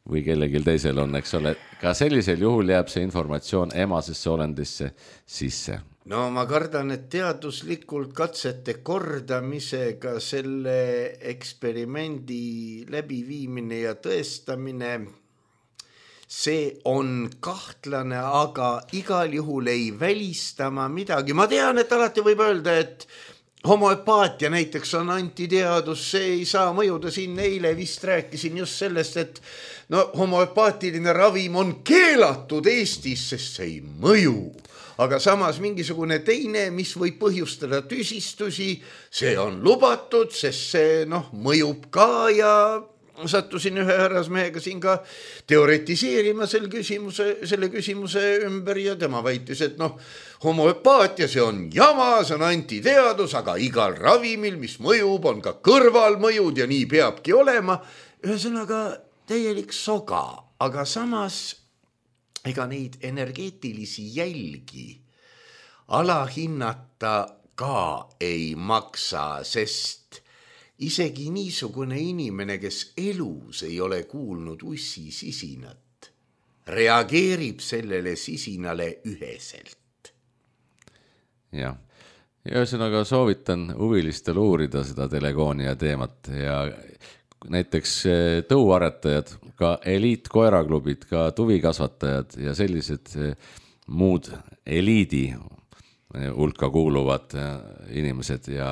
või kellelgi teisel on, eks ole, ka sellisel juhul jääb see informatsioon emasesse olendisse sisse. No ma kardan, et teaduslikult katsete kordamisega selle eksperimendi läbiviimine ja tõestamine, see on kahtlane, aga igal juhul ei välistama midagi. Ma tean, et alati võib öelda, et homoöpaatia näiteks on antiteadus, see ei saa mõjuda. Siin eile vist rääkisin just sellest, et homoöpaatiline ravim on keelatud Eestis, sest see ei mõju. Aga samas mingisugune teine, mis võib põhjustada tüsistusi, see on lubatud, sest see mõjub ka ja sattusin ühe härrasmehega siin ka teoretiseerima selle küsimuse ümber ja tema väitis, et homoöpaatia, see on jama, see on antiteadus, aga igal ravimil, mis mõjub, on ka kõrvalmõjud ja nii peabki olema. Ühesõnaga täielik soga, aga samas ega neid energeetilisi jälgi alahinnata ka ei maksa, sest isegi niisugune inimene, kes elus ei ole kuulnud ussi sisinat, reageerib sellele sisinale üheselt. Jah, ja ühesõnaga soovitan huvilistel uurida seda telegoonia teemat ja näiteks tõuaretajad, ka eliitkoeraklubid, ka tuvikasvatajad ja sellised muud eliidi hulka kuuluvad inimesed ja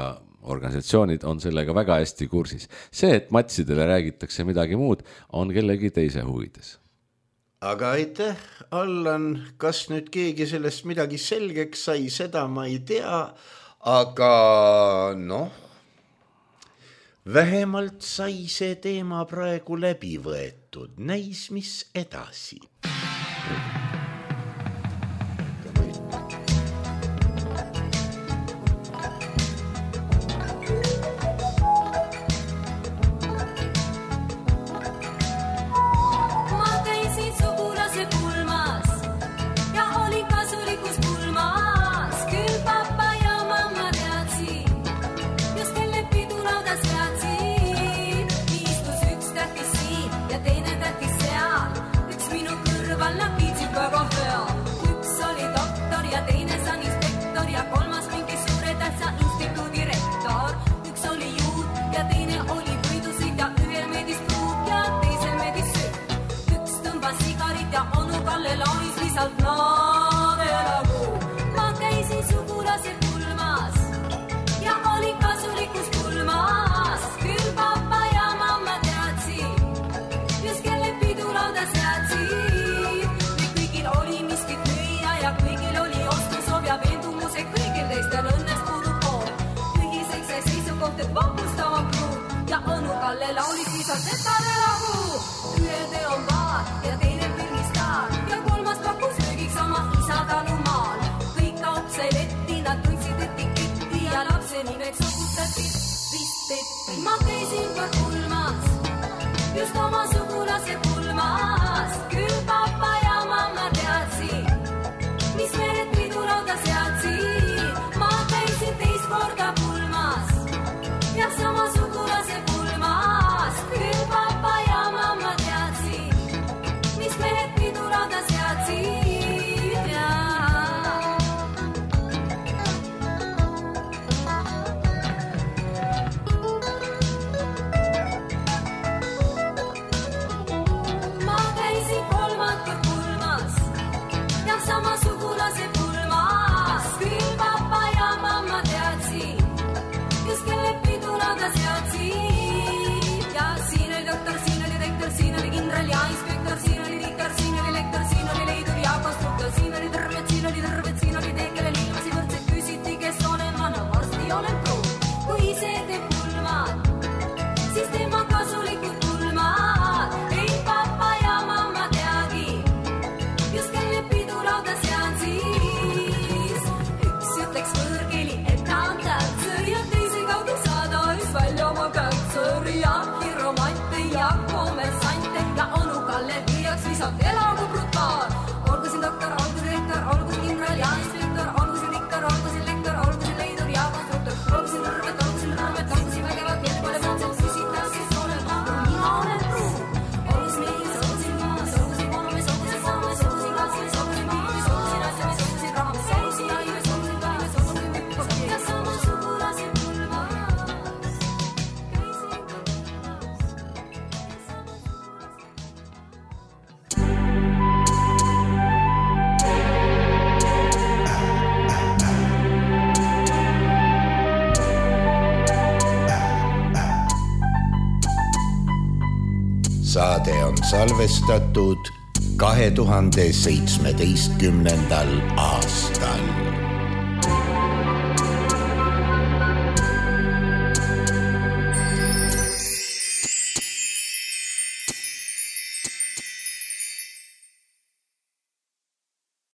organisatsioonid on sellega väga hästi kursis. See, et matsidele räägitakse midagi muud, on kellegi teise huvides. Aga aitäh, Allan, kas nüüd keegi sellest midagi selgeks sai, seda ma ei tea, aga vähemalt sai see teema praegu läbi võetud. Näis, mis edasi. Minu kõrval lapid juba Kalle laulis viisalt, et ta elagu. Ühe teon paar ja teine filmistaar ja kolmas pakkus söögiks oma isa talumaal. Kõik kaup sai letti, nad tundsid etiketti ja lapse nimeks sokutati vist Petti. Ma käisin kord pulmas, just oma sugulase pulmas. Küll papa ja mamma teadsid, mis mehed pidurauda seadsid. Ma käisin teist korda pulmas ja sama sugulase pulmas. Küll papa ja mamma teadsid, mis mehed pidurauda seadsid ja ma käisin kolmandat pulmas ja sama sugulase pulmas. Küll papa ja mamma teadsid, just kelle pidurauda seadsid. Ja siin oli doktor, siin oli rektor, siin oli kindral ja inspektor, siin oli tikar, siin oli lektor, siin oli leidur ja konstruktor, siin oli terved, siin oli teed, kelle liimasi võrdselt küsiti, kes olen vana, varsti olen pruun. Kui ise teeb pulmad, siis tema kasulikud pulmad. Ei papa ja mamma teagi, just kelle pidurauda seadsis. Üks ütleks võõrkeeli, et ta on tähtsõr ja teise kaudu saada üks välja oma kätsõr ja hiromante ja kommersante ja onu Kalle viiaks visalt elagu brutaal. Olgu siin doktor, olgu siin rektor, olgu siin kindral ja inspektor, olgu siin tikar, olgu siin lektor, olgu siin leidur ja konstruktor, olgu siin rõrvet, olgu siin vägevad, kes pole mõtselt küsitas, kes olen ma, mina olen pruun. Olgu siin mees, olgu siin maas, olgu siin konumes, olgu siin saames, olgu siin katsumis, olgu siin piibis, olgu siin asjamis, olgu siin rahamis, olgu siin aimes, olgu siin päeves, olgu siin mükkas ja sama sugulase pulmas. Saade on salvestatud 2017. aastal.